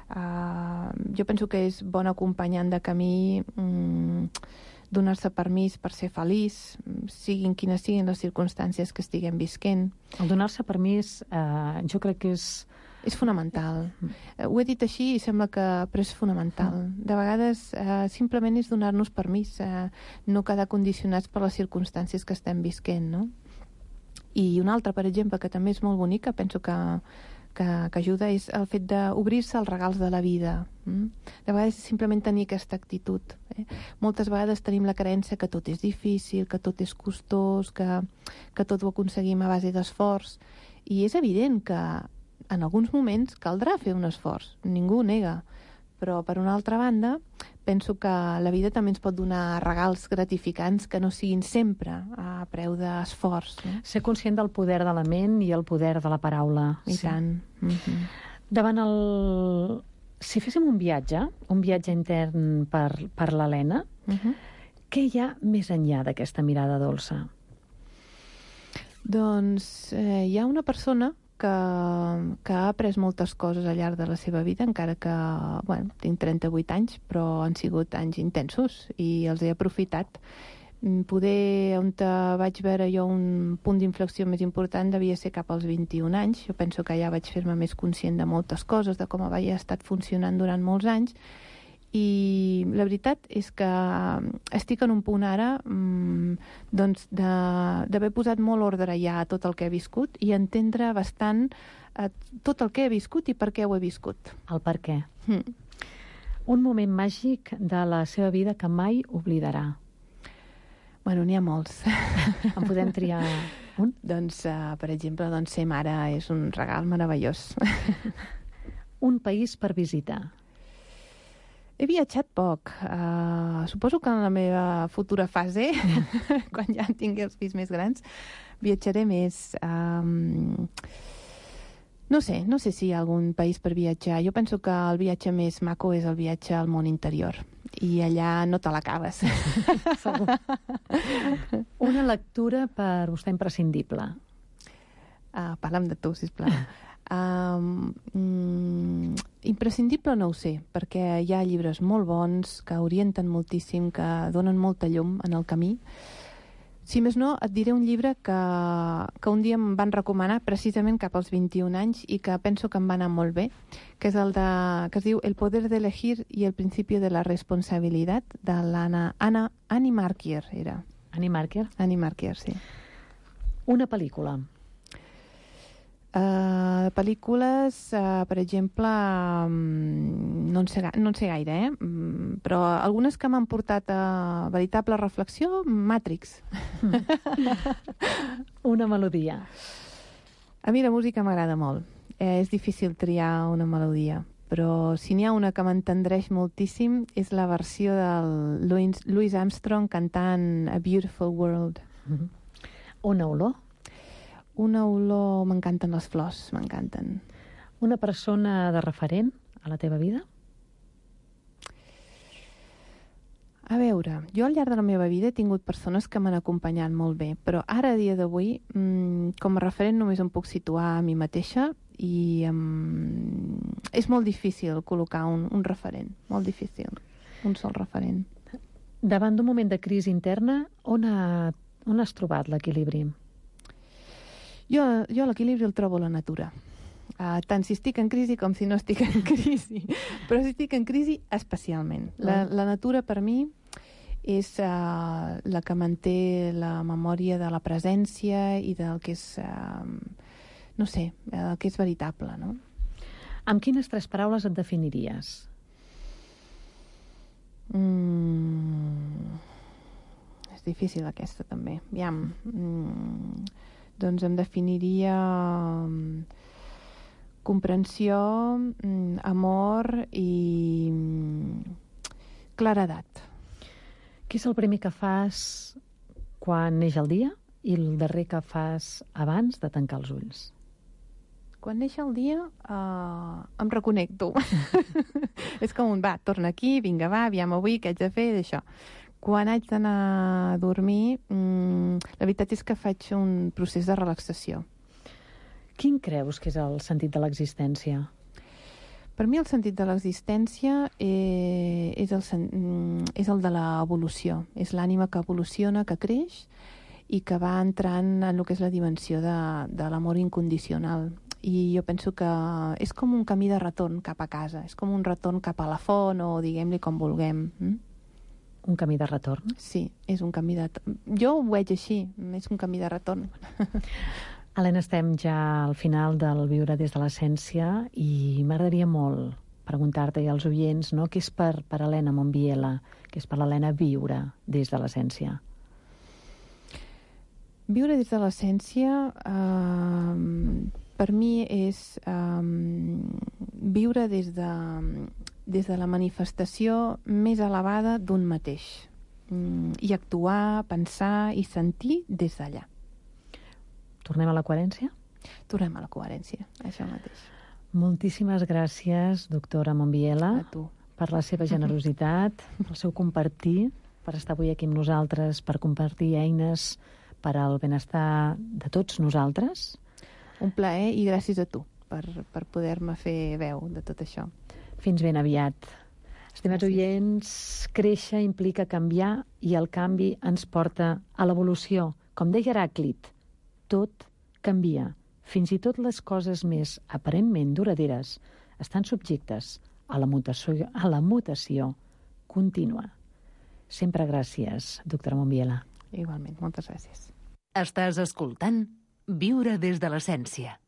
Uh, jo penso que és bon acompanyant de camí, um, donar-se permís per ser feliç, siguin quines siguin les circumstàncies que estiguem visquent. El donar-se permís, uh, jo crec que és... És fonamental. Uh, ho he dit així i sembla que però és fonamental. De vegades uh, simplement és donar-nos permís, uh, no quedar condicionats per les circumstàncies que estem visquent, no? I una altra, per exemple, que també és molt bonica, penso que, que, que ajuda, és el fet d'obrir-se als regals de la vida. Mm? De vegades és simplement tenir aquesta actitud. Eh? Moltes vegades tenim la creença que tot és difícil, que tot és costós, que, que tot ho aconseguim a base d'esforç. I és evident que en alguns moments caldrà fer un esforç, ningú ho nega, però per una altra banda penso que la vida també ens pot donar regals gratificants que no siguin sempre a preu d'esforç. No? Ser conscient del poder de la ment i el poder de la paraula. I sí. tant. Mm-hmm. Davant el... Si féssim un viatge, un viatge intern per, per l'Helena, Mm-hmm. què hi ha més enllà d'aquesta mirada dolça? Doncs eh, hi ha una persona que, que ha après moltes coses al llarg de la seva vida, encara que, bueno, tinc trenta-vuit anys, però han sigut anys intensos i els he aprofitat. Poder, on vaig veure jo un punt d'inflexió més important devia ser cap als vint-i-un anys. Jo penso que ja vaig fer-me més conscient de moltes coses, de com havia estat funcionant durant molts anys, i la veritat és que estic en un punt ara mmm, doncs d'haver posat molt ordre ja a tot el que he viscut i entendre bastant eh, tot el que he viscut i per què ho he viscut. El per què. Mm. Un moment màgic de la seva vida que mai oblidarà. Bueno, n'hi ha molts. En podem triar un? Doncs, uh, per exemple, doncs, ser mare és un regal meravellós. Un país per visitar. He viatjat poc. Uh, suposo que en la meva futura fase, quan ja tingui els fills més grans, viatjaré més. Um, no sé, no sé si hi ha algun país per viatjar. Jo penso que el viatge més maco és el viatge al món interior. I allà no te l'acabes. Segur. Una lectura per vostè imprescindible. Uh, parla'm de tu, sisplau. Um, mm, imprescindible no ho sé, perquè hi ha llibres molt bons que orienten moltíssim, que donen molta llum en el camí. Si més no, et diré un llibre que, que un dia em van recomanar precisament cap als vint-i-un anys i que penso que em va anar molt bé, que és el de, que es diu El poder de elegir y el principio de la responsabilidad, de l'Anna Anna, Annie Markier, era. Annie Markier? Annie Markier, sí. Una pel·lícula. Uh, pel·lícules, uh, per exemple, um, no, en sé, no en sé gaire, eh? Um, però algunes que m'han portat a veritable reflexió, Matrix. Una melodia. A mi la música m'agrada molt. Eh, és difícil triar una melodia, però si n'hi ha una que m'entendreix moltíssim és la versió del Louis, Louis Armstrong cantant A Beautiful World. Mm-hmm. Una olor? Una olor... M'encanten les flors, m'encanten. Una persona de referent a la teva vida? A veure, jo al llarg de la meva vida he tingut persones que m'han acompanyat molt bé, però ara, a dia d'avui, mmm, com a referent només em puc situar a mi mateixa i um, és molt difícil col·locar un, un referent, molt difícil, un sol referent. Davant d'un moment de crisi interna, on, ha, on has trobat l'equilibri? Jo, jo l'equilibri el trobo a la natura. Uh, tant si estic en crisi com si no estic en crisi. Però si estic en crisi, especialment. La, la natura, per mi, és uh, la que manté la memòria de la presència i del que és, uh, no sé, el que és veritable, no? Amb quines tres paraules et definiries? Mm, és difícil aquesta, també. Aviam... Mm, doncs em definiria um, comprensió, um, amor i um, claredat. Què és el primer que fas quan neix el dia i el darrer que fas abans de tancar els ulls? Quan neix el dia uh, em reconnecto. És com un, va, torna aquí, vinga, va, aviam avui, què haig de fer, d'això. Quan haig d'anar a dormir, mmm, la veritat és que faig un procés de relaxació. Quin creus que és el sentit de l'existència? Per mi el sentit de l'existència eh, és, el, és el de l'evolució. És l'ànima que evoluciona, que creix i que va entrant en el que és la dimensió de, de l'amor incondicional. I jo penso que és com un camí de retorn cap a casa, és com un retorn cap a la font o diguem-li com vulguem. Mm? Un camí de retorn? Sí, és un camí de... Jo ho veig així, és un camí de retorn. Helena, estem ja al final del Viure des de l'essència i m'agradaria molt preguntar-te i als oients, no?, què és per, per Helena Monbiela, què és per l'Helena viure des de l'essència? Viure des de l'essència eh, per mi és eh, viure des de... des de la manifestació més elevada d'un mateix. Mm, I actuar, pensar i sentir des d'allà. Tornem a la coherència? Tornem a la coherència, això mateix. Moltíssimes gràcies, doctora Monbiela, a tu, per la seva generositat, el seu compartir, per estar avui aquí amb nosaltres, per compartir eines per al benestar de tots nosaltres. Un plaer i gràcies a tu per, per poder-me fer veu de tot això. Fins ben aviat. Estimats oients, créixer implica canviar i el canvi ens porta a l'evolució. Com deia Heràclit, tot canvia. Fins i tot les coses més aparentment duraderes estan subjectes a la mutació, a la mutació contínua. Sempre gràcies, doctora Monbiela. Igualment, moltes gràcies. Estàs escoltant Viure des de l'essència.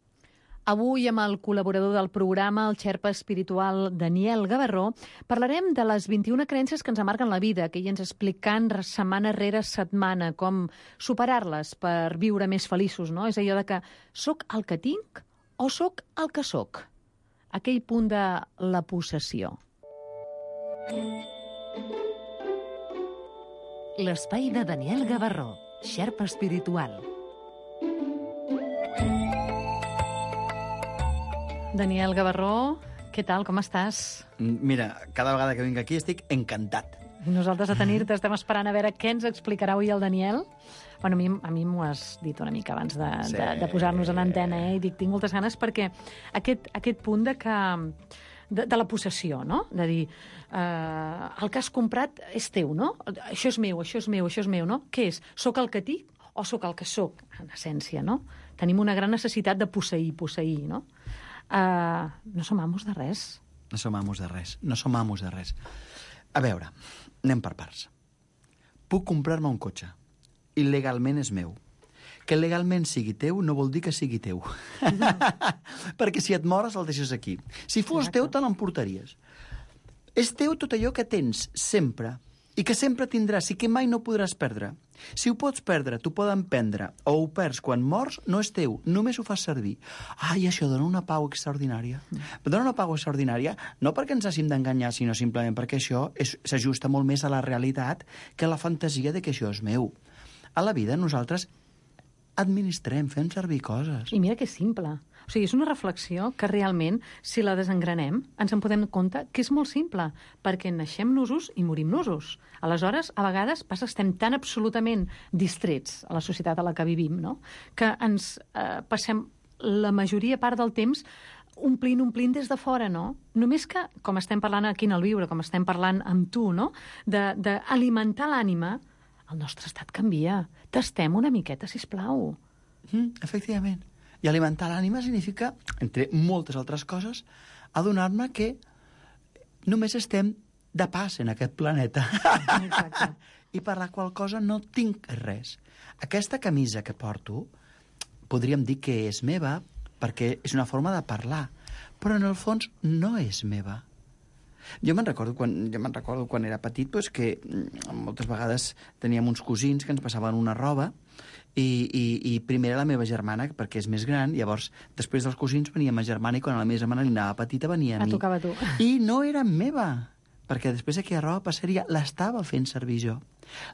Avui, amb el col·laborador del programa, el xerpa espiritual Daniel Gavarró, parlarem de les vint-i-una creences que ens amarguen la vida, que ell ens explicant setmana rere setmana com superar-les per viure més feliços, no? És allò de que soc el que tinc o soc el que soc? Aquell punt de la possessió. L'espai de Daniel Gavarró, xerpa espiritual. Daniel Gavarró, què tal, com estàs? Mira, cada vegada que vinc aquí estic encantat. I nosaltres a tenir-te estem esperant a veure què ens explicarà avui el Daniel. Bueno, a mi, a mi m'ho has dit una mica abans de, sí. de, de posar-nos en antena, eh? I dic, tinc moltes ganes perquè aquest, aquest punt de que de, de la possessió, no? De dir, eh, el que has comprat és teu, no? Això és meu, això és meu, això és meu, no? Què és? Soc el que tinc o sóc el que sóc, en essència, no? Tenim una gran necessitat de posseir, posseir, no? Eh, no som amos de res. No som amos de res, no som amos de res. A veure, anem per parts. Puc comprar-me un cotxe. Il·legalment és meu. Que legalment sigui teu no vol dir que sigui teu. No. Perquè si et mores el deixes aquí. Si fos Exacte. Teu te l'emportaries. És teu tot allò que tens sempre i que sempre tindràs i que mai no podràs perdre. Si ho pots perdre, t'ho poden prendre o ho perds quan mors, no és teu, només ho fas servir. Ai, això dona una pau extraordinària. Mm. Dona una pau extraordinària no perquè ens hàgim d'enganyar, sinó simplement perquè això s'ajusta molt més a la realitat que a la fantasia de que això és meu. A la vida nosaltres administrem, fem servir coses. I mira que és simple. O sigui, és una reflexió que realment, si la desengranem, ens en podem compte que és molt simple, perquè naixem nusos i morim nusos. Aleshores, a vegades passa que estem tan absolutament distrets a la societat a la que vivim, no? Que ens eh, passem la majoria part del temps omplint, omplint des de fora, no? Només que, com estem parlant aquí en el Viure, com estem parlant amb tu, no? D'alimentar l'ànima, el nostre estat canvia. Tastem una miqueta, sisplau. Mm, efectivament. I alimentar l'ànima significa, entre moltes altres coses, adonar-me que només estem de pas en aquest planeta. Exacte. I per la qual cosa no tinc res. Aquesta camisa que porto, podríem dir que és meva, perquè és una forma de parlar, però en el fons no és meva. Jo me'n recordo, quan, jo me'n recordo quan era petit pues, que moltes vegades teníem uns cosins que ens passaven una roba i, i, i primer era la meva germana, perquè és més gran, llavors després dels cosins venia ma germana i quan la meva germana li anava petita venia a mi. A tocava tu. I no era meva, perquè després aquella roba passaria, l'estava fent servir jo.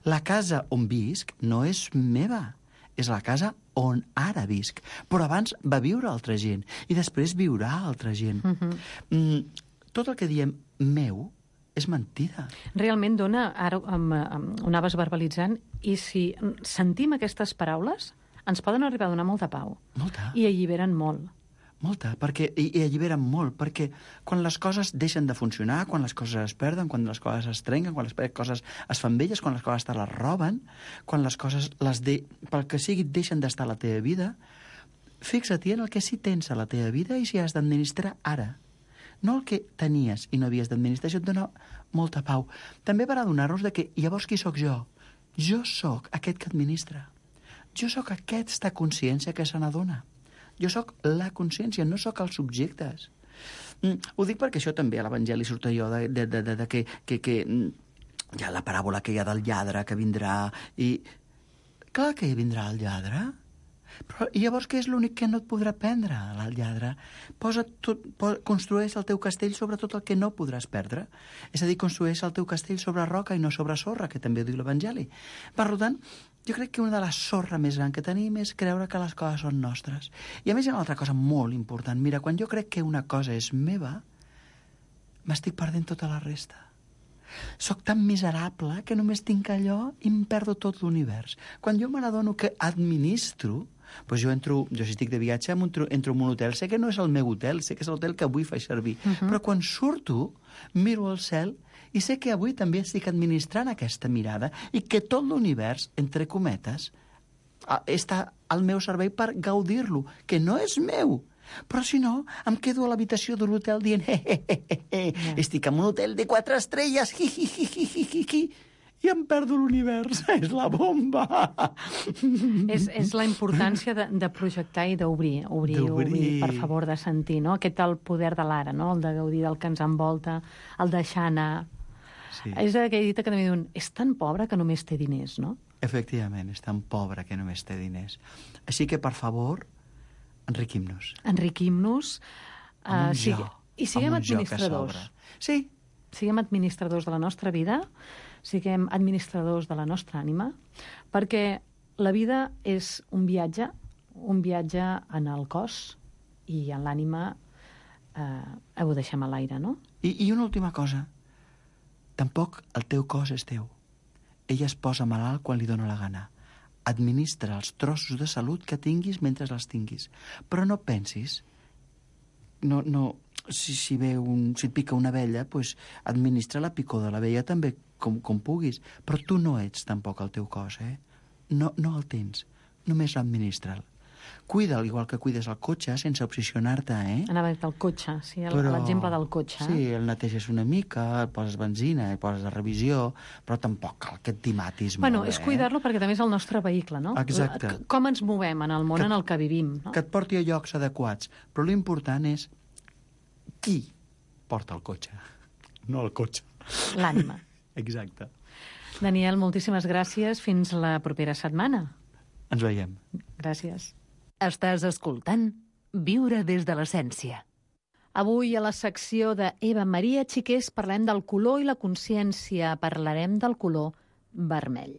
La casa on visc no és meva, és la casa on ara visc. Però abans va viure altra gent i després viurà altra gent. Uh-huh. Mm, tot el que diem meu és mentida. Realment dona, ara um, um, ho anaves verbalitzant, i si sentim aquestes paraules, ens poden arribar a donar molta pau. Molta. I alliberen molt. Molta, perquè, i, i alliberen molt, perquè quan les coses deixen de funcionar, quan les coses es perden, quan les coses es trenquen, quan les coses es fan velles, quan les coses te les roben, quan les coses, les de, pel que sigui, deixen d'estar a la teva vida, fixa-t'hi en el que sí tens a la teva vida i si has d'administrar ara. No el que tenies i no havies d'administrar, això et dona molta pau. També per adonar-nos de que llavors qui sóc jo? Jo sóc aquest que administra. Jo sóc aquesta consciència que se n'adona. Jo sóc la consciència, no sóc els subjectes. Mm, ho dic perquè això també a l'Evangeli surt allò de, de, de, de, de que, que, que hi ha la paràbola que hi ha del lladre que vindrà i... Clar que hi vindrà el lladre. Però i llavors què és l'únic que no et podrà prendre, el lladre? Posa tot, posa, construeix el teu castell sobre tot el que no podràs perdre. És a dir, construeix el teu castell sobre roca i no sobre sorra, que també ho diu l'Evangeli. Per tant, jo crec que una de les sorra més gran que tenim és creure que les coses són nostres. I a més hi ha una altra cosa molt important. Mira, quan jo crec que una cosa és meva, m'estic perdent tota la resta. Soc tan miserable que només tinc allò i em perdo tot l'univers. Quan jo me n'adono que administro, doncs jo entro, jo si estic de viatge, entro, entro en un hotel, sé que no és el meu hotel, sé que és l'hotel que avui faig servir, uh-huh. Però quan surto, miro al cel i sé que avui també estic administrant aquesta mirada i que tot l'univers, entre cometes, està al meu servei per gaudir-lo, que no és meu. Però si no, em quedo a l'habitació de l'hotel dient he, he, he, he, he. Yeah. Estic en un hotel de quatre estrelles hi, hi, hi, hi, hi, hi, hi. I em perdo l'univers, és la bomba. És, és la importància de, de projectar i d'obrir, obrir, obrir, per favor, de sentir, no? Aquest el poder de l'ara, no? El de gaudir del que ens envolta, el deixar anar. Sí. És aquella dita que també diuen, és tan pobre que només té diners, no? Efectivament, és tan pobre que només té diners. Així que, per favor, enriquim-nos. Enriquim-nos. Uh, sigui, I siguem administradors. Sí. Siguem administradors de la nostra vida, siguem administradors de la nostra ànima, perquè la vida és un viatge, un viatge en el cos i en l'ànima eh, ho deixem a l'aire, no? I, I una última cosa. Tampoc el teu cos és teu. Ella es posa malalt quan li dóna la gana. Administra els trossos de salut que tinguis mentre els tinguis. Però no pensis, no, no, si, si, ve un, si et pica una abella, pues, administra la picor de l'abella també com, com puguis. Però tu no ets tampoc el teu cos, eh? No, no el tens, només l'administra'l. Cuida'l, igual que cuides el cotxe, sense obsessionar-te, eh? Anava a dir el cotxe, sí, l'exemple del cotxe. Sí, el neteges una mica, el poses benzina, el poses a revisió, però tampoc cal que et dimatis bueno, molt, és eh? cuidar-lo perquè també és el nostre vehicle, no? Exacte. Com ens movem en el món que, en el que vivim, no? Que et porti a llocs adequats. Però l'important és qui porta el cotxe, no el cotxe. L'ànima. Exacte. Daniel, moltíssimes gràcies. Fins la propera setmana. Ens veiem. Gràcies. Estàs escoltant Viure des de l'essència. Avui, a la secció de Eva Maria Xiqués, parlem del color i la consciència. Parlarem del color vermell.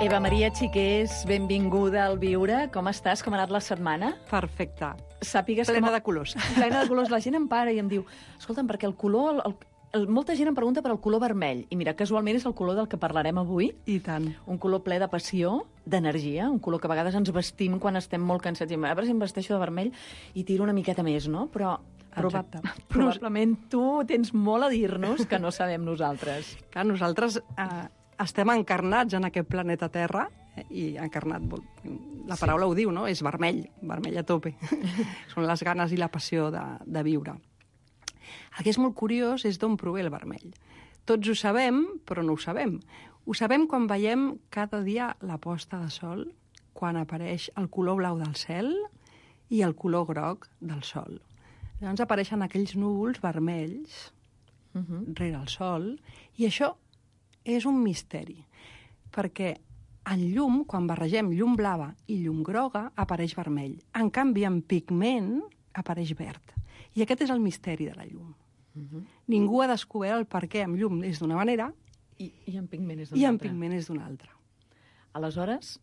Eva Maria Xiqués, benvinguda al Viure. Com estàs? Com ha anat la setmana? Perfecte. Sàpigues plena que... de colors. Plena de colors. La gent em para i em diu, escolta'm, perquè el color... El, el, molta gent em pregunta per el color vermell. I mira, casualment és el color del que parlarem avui. I tant. Un color ple de passió, d'energia, un color que a vegades ens vestim quan estem molt cansats. I a veure si em vesteixo de vermell i tiro una miqueta més, no? Però proba probablement tu tens molt a dir-nos que no sabem nosaltres. Clar, nosaltres eh, estem encarnats en aquest planeta Terra, eh, i encarnat, la paraula sí. Ho diu, no? És vermell, vermell a tope. Són les ganes i la passió de, de viure. El que és molt curiós és d'on prové el vermell. Tots ho sabem, però no ho sabem. Ho sabem quan veiem cada dia la posta de sol, quan apareix el color blau del cel i el color groc del sol. Llavors apareixen aquells núvols vermells uh-huh. rere el sol, i això és un misteri, perquè en llum, quan barregem llum blava i llum groga, apareix vermell. En canvi, en pigment apareix verd. I aquest és el misteri de la llum. Uh-huh. Ningú ha descobert el per què en llum és d'una manera i, i en pigment és d'una altra. I en pigment és d'una altra. Aleshores,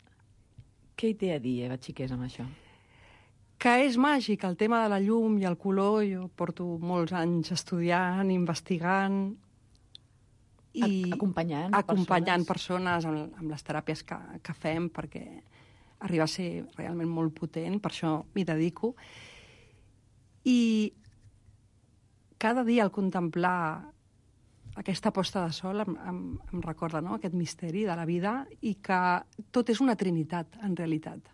què hi té a dir, Eva Xiqués, amb això? Que és màgic, el tema de la llum i el color. Jo porto molts anys estudiant, investigant i acompanyant, acompanyant persones, persones amb, amb les teràpies que, que fem, perquè arriba a ser realment molt potent, per això m'hi dedico. I cada dia al contemplar aquesta posta de sol em, em, em recorda, no?, aquest misteri de la vida, i que tot és una trinitat, en realitat.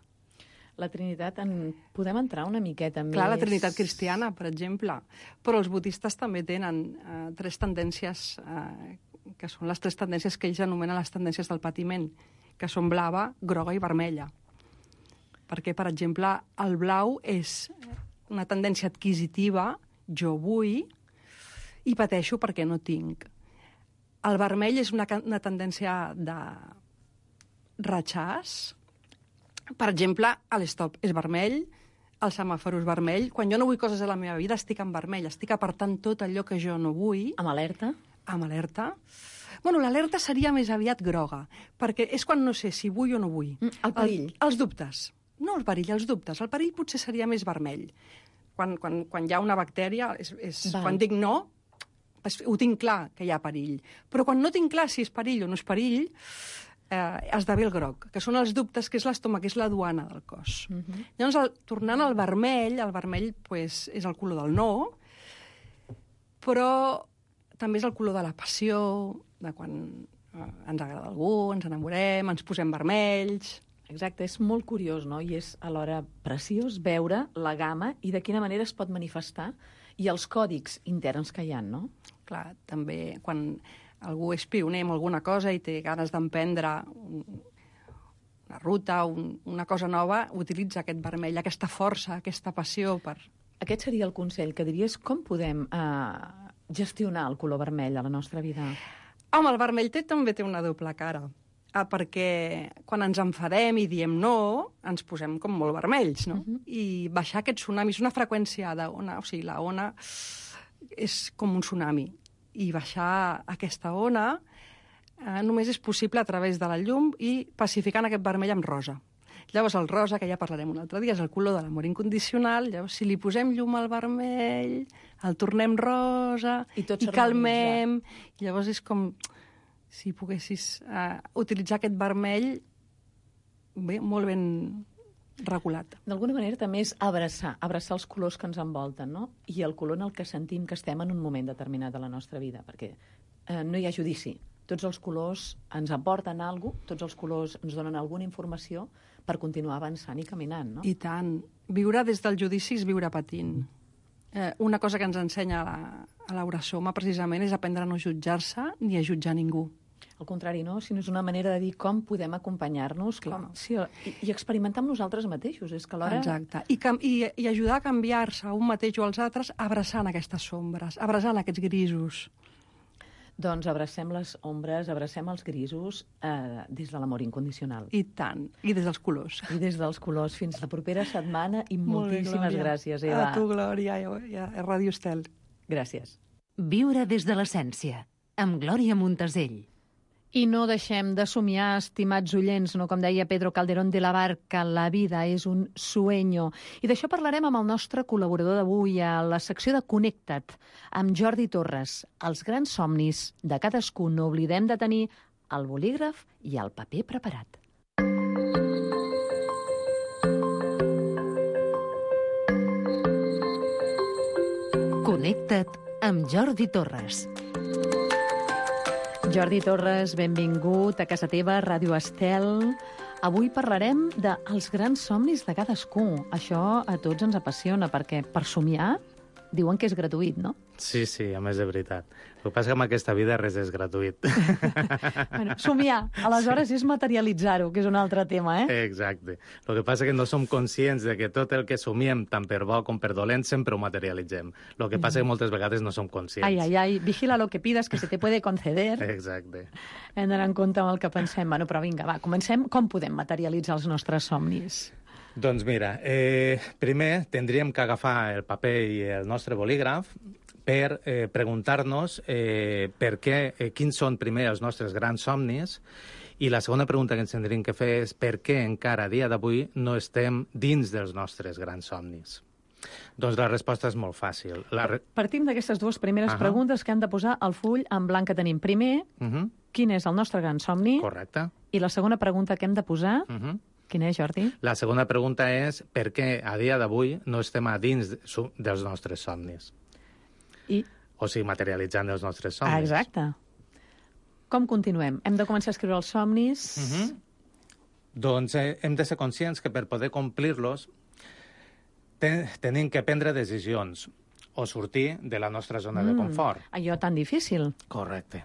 La Trinitat, en... podem entrar una miqueta més... Clar, la Trinitat cristiana, per exemple. Però els budistes també tenen eh, tres tendències, eh, que són les tres tendències que ells anomenen les tendències del patiment, que són blava, groga i vermella. Perquè, per exemple, el blau és una tendència adquisitiva, jo vull, i pateixo perquè no tinc. El vermell és una, una tendència de rechaç. Per exemple, l'stop és vermell, el semàfor és vermell. Quan jo no vull coses a la meva vida, estic en vermell. Estic apartant tot allò que jo no vull. Amb alerta? Amb alerta. Bueno, l'alerta seria més aviat groga, perquè és quan no sé si vull o no vull. Mm, el perill. El, els dubtes. No el perill, els dubtes. El perill potser seria més vermell. Quan, quan, quan hi ha una bactèria, és, és, quan dic no, ho tinc clar que hi ha perill. Però quan no tinc clar si és perill o no és perill, eh, esdevé el groc, que són els dubtes, que és l'estómac, que és la duana del cos. Uh-huh. Llavors, el, tornant al vermell, el vermell pues, és el color del no, però també és el color de la passió, de quan eh, ens agrada algú, ens enamorem, ens posem vermells. Exacte, és molt curiós, no? I és alhora preciós veure la gamma i de quina manera es pot manifestar i els còdics interns que hi ha, no? Clar, també quan algú és pioner en alguna cosa i té ganes d'emprendre un, una ruta, un, una cosa nova, utilitza aquest vermell, aquesta força, aquesta passió per... Aquest seria el consell que diries, com podem eh, gestionar el color vermell a la nostra vida? Home, el vermell té, també té una doble cara, ah, perquè quan ens enfadem i diem no, ens posem com molt vermells, no? Uh-huh. I baixar aquest tsunami és una freqüència d'ona, o sigui, la ona és com un tsunami, i baixar aquesta ona eh, només és possible a través de la llum i pacificant aquest vermell amb rosa. Llavors, el rosa, que ja parlarem un altre dia, és el color de l'amor incondicional. Llavors, si li posem llum al vermell, el tornem rosa I tot i calmem. I llavors és com si poguessis uh, utilitzar aquest vermell bé, molt ben regulat. D'alguna manera també és abraçar, abraçar els colors que ens envolten, no? I el color en el que sentim que estem en un moment determinat de la nostra vida, perquè eh, no hi ha judici. Tots els colors ens aporten alguna cosa, tots els colors ens donen alguna informació per continuar avançant i caminant, no? I tant. Viure des del judici és viure patint. Eh, una cosa que ens ensenya a la, a Laura Soma, precisament, és aprendre a no jutjar-se ni a jutjar ningú. Al contrari, no? Sinó és una manera de dir com podem acompanyar-nos com... sí, i, i experimentar amb nosaltres mateixos. És que alhora... Exacte. I, cam... I, i ajudar a canviar-se un mateix o als altres abraçant aquestes sombres, abraçant aquests grisos. Doncs abracem les ombres, abracem els grisos eh, des de l'amor incondicional. I tant. I des dels colors. I des dels colors. Fins la propera setmana i Molt bé, moltíssimes Glòria. gràcies, Eva. A tu, Glòria, i a Ràdio Estel. Gràcies. Viure des de l'essència, amb Glòria Montasell. I no deixem de somiar, estimats oients, no? Com deia Pedro Calderón de la Barca, la vida és un sueño. I d'això parlarem amb el nostre col·laborador d'avui a la secció de Connecta't, amb Jordi Torres. Els grans somnis de cadascú, no oblidem de tenir el bolígraf i el paper preparat. Connecta't amb Jordi Torres. Jordi Torres, benvingut a casa teva, Ràdio Estel. Avui parlarem dels grans somnis de cadascú. Això a tots ens apassiona, perquè per somiar diuen que és gratuït, no? Sí, sí, a més de veritat. El que passa és que amb aquesta vida res és gratuït. Bueno, somiar, aleshores sí. És materialitzar-ho, que és un altre tema, eh? Exacte. El que passa és que no som conscients de que tot el que somiem, tant per bo com per dolent, sempre ho materialitzem. El que passa és que moltes vegades no som conscients. Ai, ai, ai, vigila lo que pidas, que se te puede conceder. Exacte. Hem d'anar en compte amb el que pensem. Bueno, però vinga, va, comencem. Com podem materialitzar els nostres somnis? Doncs mira, eh, primer tindríem que agafar el paper i el nostre bolígraf per eh, preguntar-nos eh, per què, eh, quins són primer els nostres grans somnis, i la segona pregunta que ens tindríem que fer és per què encara a dia d'avui no estem dins dels nostres grans somnis. Doncs la resposta és molt fàcil. La re... Partim d'aquestes dues primeres uh-huh. preguntes que hem de posar al full en blanc que tenim. Primer, uh-huh. quin és el nostre gran somni? Correcte. I la segona pregunta que hem de posar... Uh-huh. Quina és, Jordi? La segona pregunta és per què a dia d'avui no estem a dins dels nostres somnis. I? O sigui, materialitzant els nostres somnis. Ah, exacte. Com continuem? Hem de començar a escriure els somnis? Uh-huh. Doncs eh, hem de ser conscients que per poder complir-los ten tenim que prendre decisions o sortir de la nostra zona mm, de confort. Allò tan difícil. Correcte.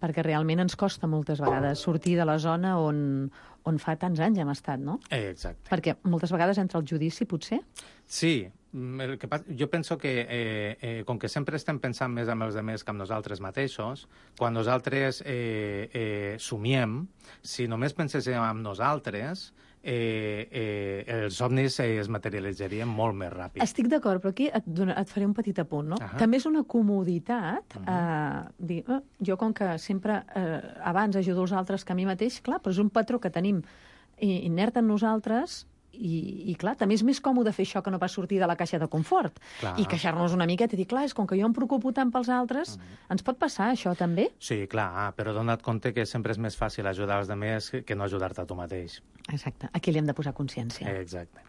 Perquè realment ens costa moltes vegades sortir de la zona on, on fa tants anys hem estat, no? Eh, exacte. Perquè moltes vegades entra el judici, potser? Sí. El que passa, jo penso que, eh, eh, com que sempre estem pensant més amb els altres que amb nosaltres mateixos, quan nosaltres eh, eh, somiem, si només penséssim en nosaltres, eh, eh, els somnis eh, es materialitzarien molt més ràpid. Estic d'acord, però aquí et, dona, et faré un petit apunt, no? Uh-huh. També és una comoditat uh-huh. eh, dir, eh, jo com que sempre eh, abans ajudo els altres que a mi mateix, clar, però és un patró que tenim inert en nosaltres. I, i clar, també és més còmode fer això que no pas sortir de la caixa de confort. Clar. I queixar-nos una miqueta i dir, clar, és com que jo em preocupo tant pels altres, uh-huh. ens pot passar això també? Sí, clar, però dona't compte que sempre és més fàcil ajudar els altres que no ajudar-te a tu mateix. Exacte, aquí li hem de posar consciència. Eh, exacte.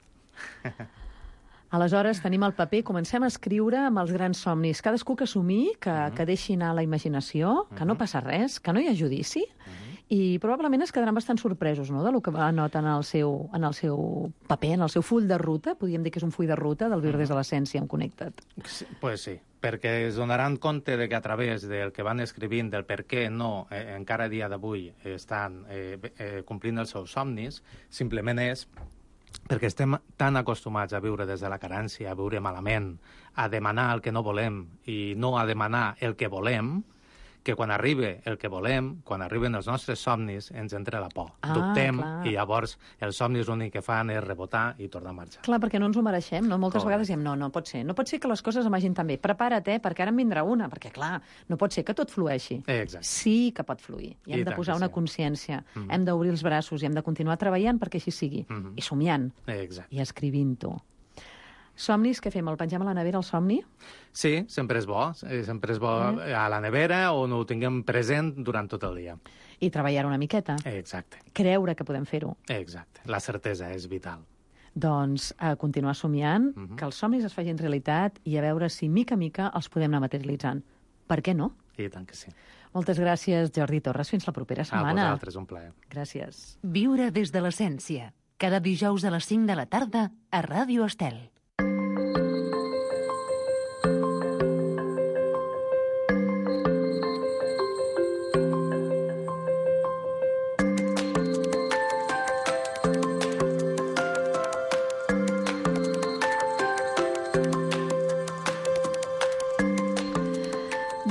Aleshores, tenim el paper, comencem a escriure amb els grans somnis. Cadascú que assumir, que, uh-huh. que deixi anar la imaginació, que uh-huh. no passa res, que no hi ha judici, uh-huh. i probablement es quedaran bastant sorpresos, no?, del que anoten en el seu, en el seu paper, en el seu full de ruta. Podríem dir que és un full de ruta del Viure des de l'essència en Connecta't. Sí, pues sí, perquè es donaran compte de que a través del que van escrivint, del per què no, eh, encara a dia d'avui estan eh, eh, complint els seus somnis, simplement és perquè estem tan acostumats a viure des de la carència, a viure malament, a demanar el que no volem i no a demanar el que volem, que quan arriba el que volem, quan arriben els nostres somnis, ens entra la por. Ah, Dubtem, clar. i llavors els somnis l'únic que fan és rebotar i tornar a marxar. Clar, perquè no ens ho mereixem, no? Moltes Correcte. vegades diem, no, no pot ser. No pot ser que les coses em vagin tan bé. Prepara't, eh, perquè ara en vindrà una. Perquè, clar, no pot ser que tot flueixi. Exacte. Sí que pot fluir. I hem I de tant posar que una sí. consciència. Mhm. Hem d'obrir els braços i hem de continuar treballant perquè així sigui. Mhm. I somiant. Exacte. I escrivint-ho. Somnis, què fem? El pengem a la nevera, el somni? Sí, sempre és bo. eh, Sempre és bo Eh? a la nevera on ho tinguem present durant tot el dia. I treballar una miqueta. Exacte. Creure que podem fer-ho. Exacte. La certesa és vital. Doncs a continuar somiant, Mhm. que els somnis es facin realitat i a veure si, mica a mica, els podem anar materialitzant. Per què no? I tant que sí. Moltes gràcies, Jordi Torres. Fins la propera A setmana. vosaltres, un plaer. Gràcies. Viure des de l'essència. Cada dijous a les cinc de la tarda a Ràdio Estel.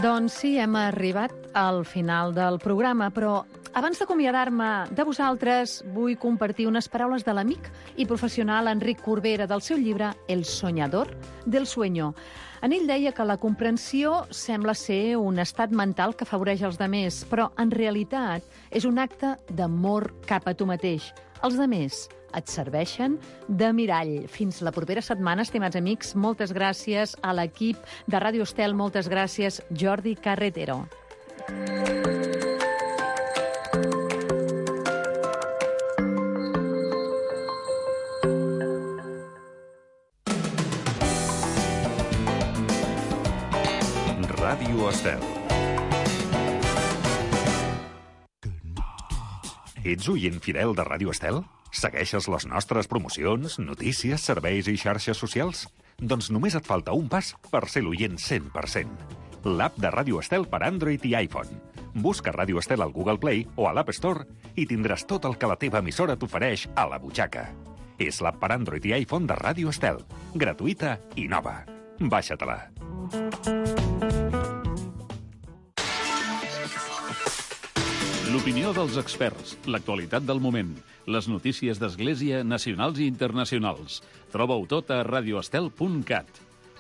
Doncs sí, hem arribat al final del programa, però abans d'acomiadar-me de vosaltres, vull compartir unes paraules de l'amic i professional Enric Corbera del seu llibre El soñador del sueño. En ell deia que la comprensió sembla ser un estat mental que afavoreix els demés, però en realitat és un acte d'amor cap a tu mateix. Els demés et serveixen de mirall. Fins la propera setmana, estimats amics. Moltes gràcies a l'equip de Ràdio Estel. Moltes gràcies, Jordi Carretero. Ràdio Estel. Ets oient fidel de Ràdio Estel? Segueixes les nostres promocions, notícies, serveis i xarxes socials? Doncs només et falta un pas per ser l'oient cent per cent. L'app de Ràdio Estel per Android i iPhone. Busca Ràdio Estel al Google Play o a l'App Store i tindràs tot el que la teva emissora t'ofereix a la butxaca. És l'app per Android i iPhone de Ràdio Estel. Gratuïta i nova. Baixa-te-la. L'opinió dels experts, l'actualitat del moment, les notícies d'Església nacionals i internacionals. Troba-ho tot a radioestel punt cat.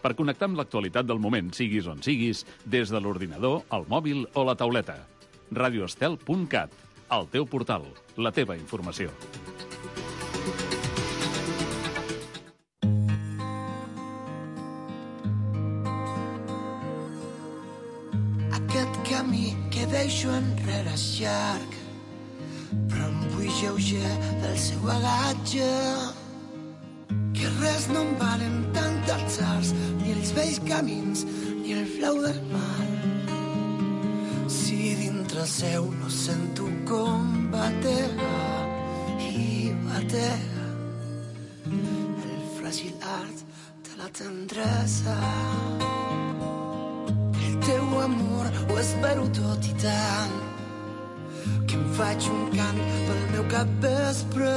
Per connectar amb l'actualitat del moment, siguis on siguis, des de l'ordinador, el mòbil o la tauleta. radioestel punt cat, el teu portal, la teva informació. Aquest camí que deixo enrere és llarg, però em vull lleuger del seu bagatge. Que res no em valen tant els arts, ni els vells camins, ni el flau del mar. Si dintre seu no sento com batega i batega el fràgil art de la tendresa. El teu amor ho espero tot i tant, que em faig un cant pel meu capvespre.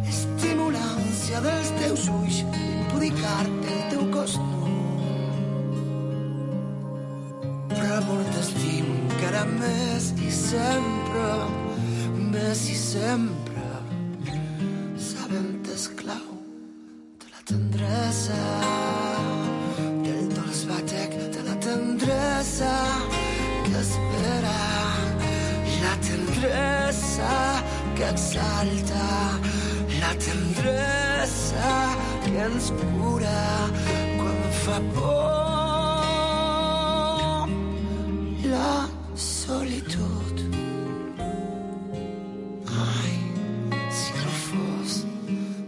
Estimo l'ànsia dels teus ulls, impudicar-te el teu cos nu. Però amor t'estimo encara més i sempre, més i sempre, sabent esclau de la tendresa, del dolç batec de la tendresa que espera, la tendresa que exalta, la tendresa que ens cura quan fa por. La solitud. Ai, si no fos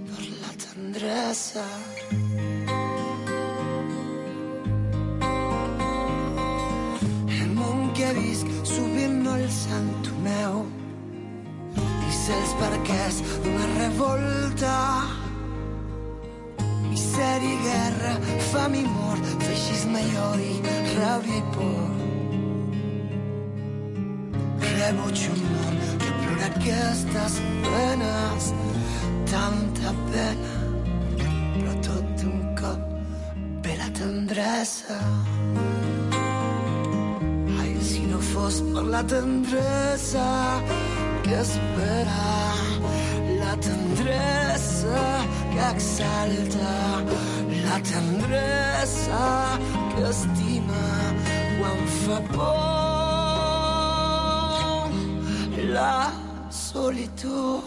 per la tendresa. El món que visc sovint no el sento meu, i sé els perquès d'una revolta. Misèria i guerra, fam i mort, feixisme i odi, ràbia i por. Rebutjo un món que plora aquestes penes, tanta pena, però tot d'un cop ve la tendresa. és per la tendresa que espera, la tendresa que exalta, la tendresa que estima quan fa por, la solitud.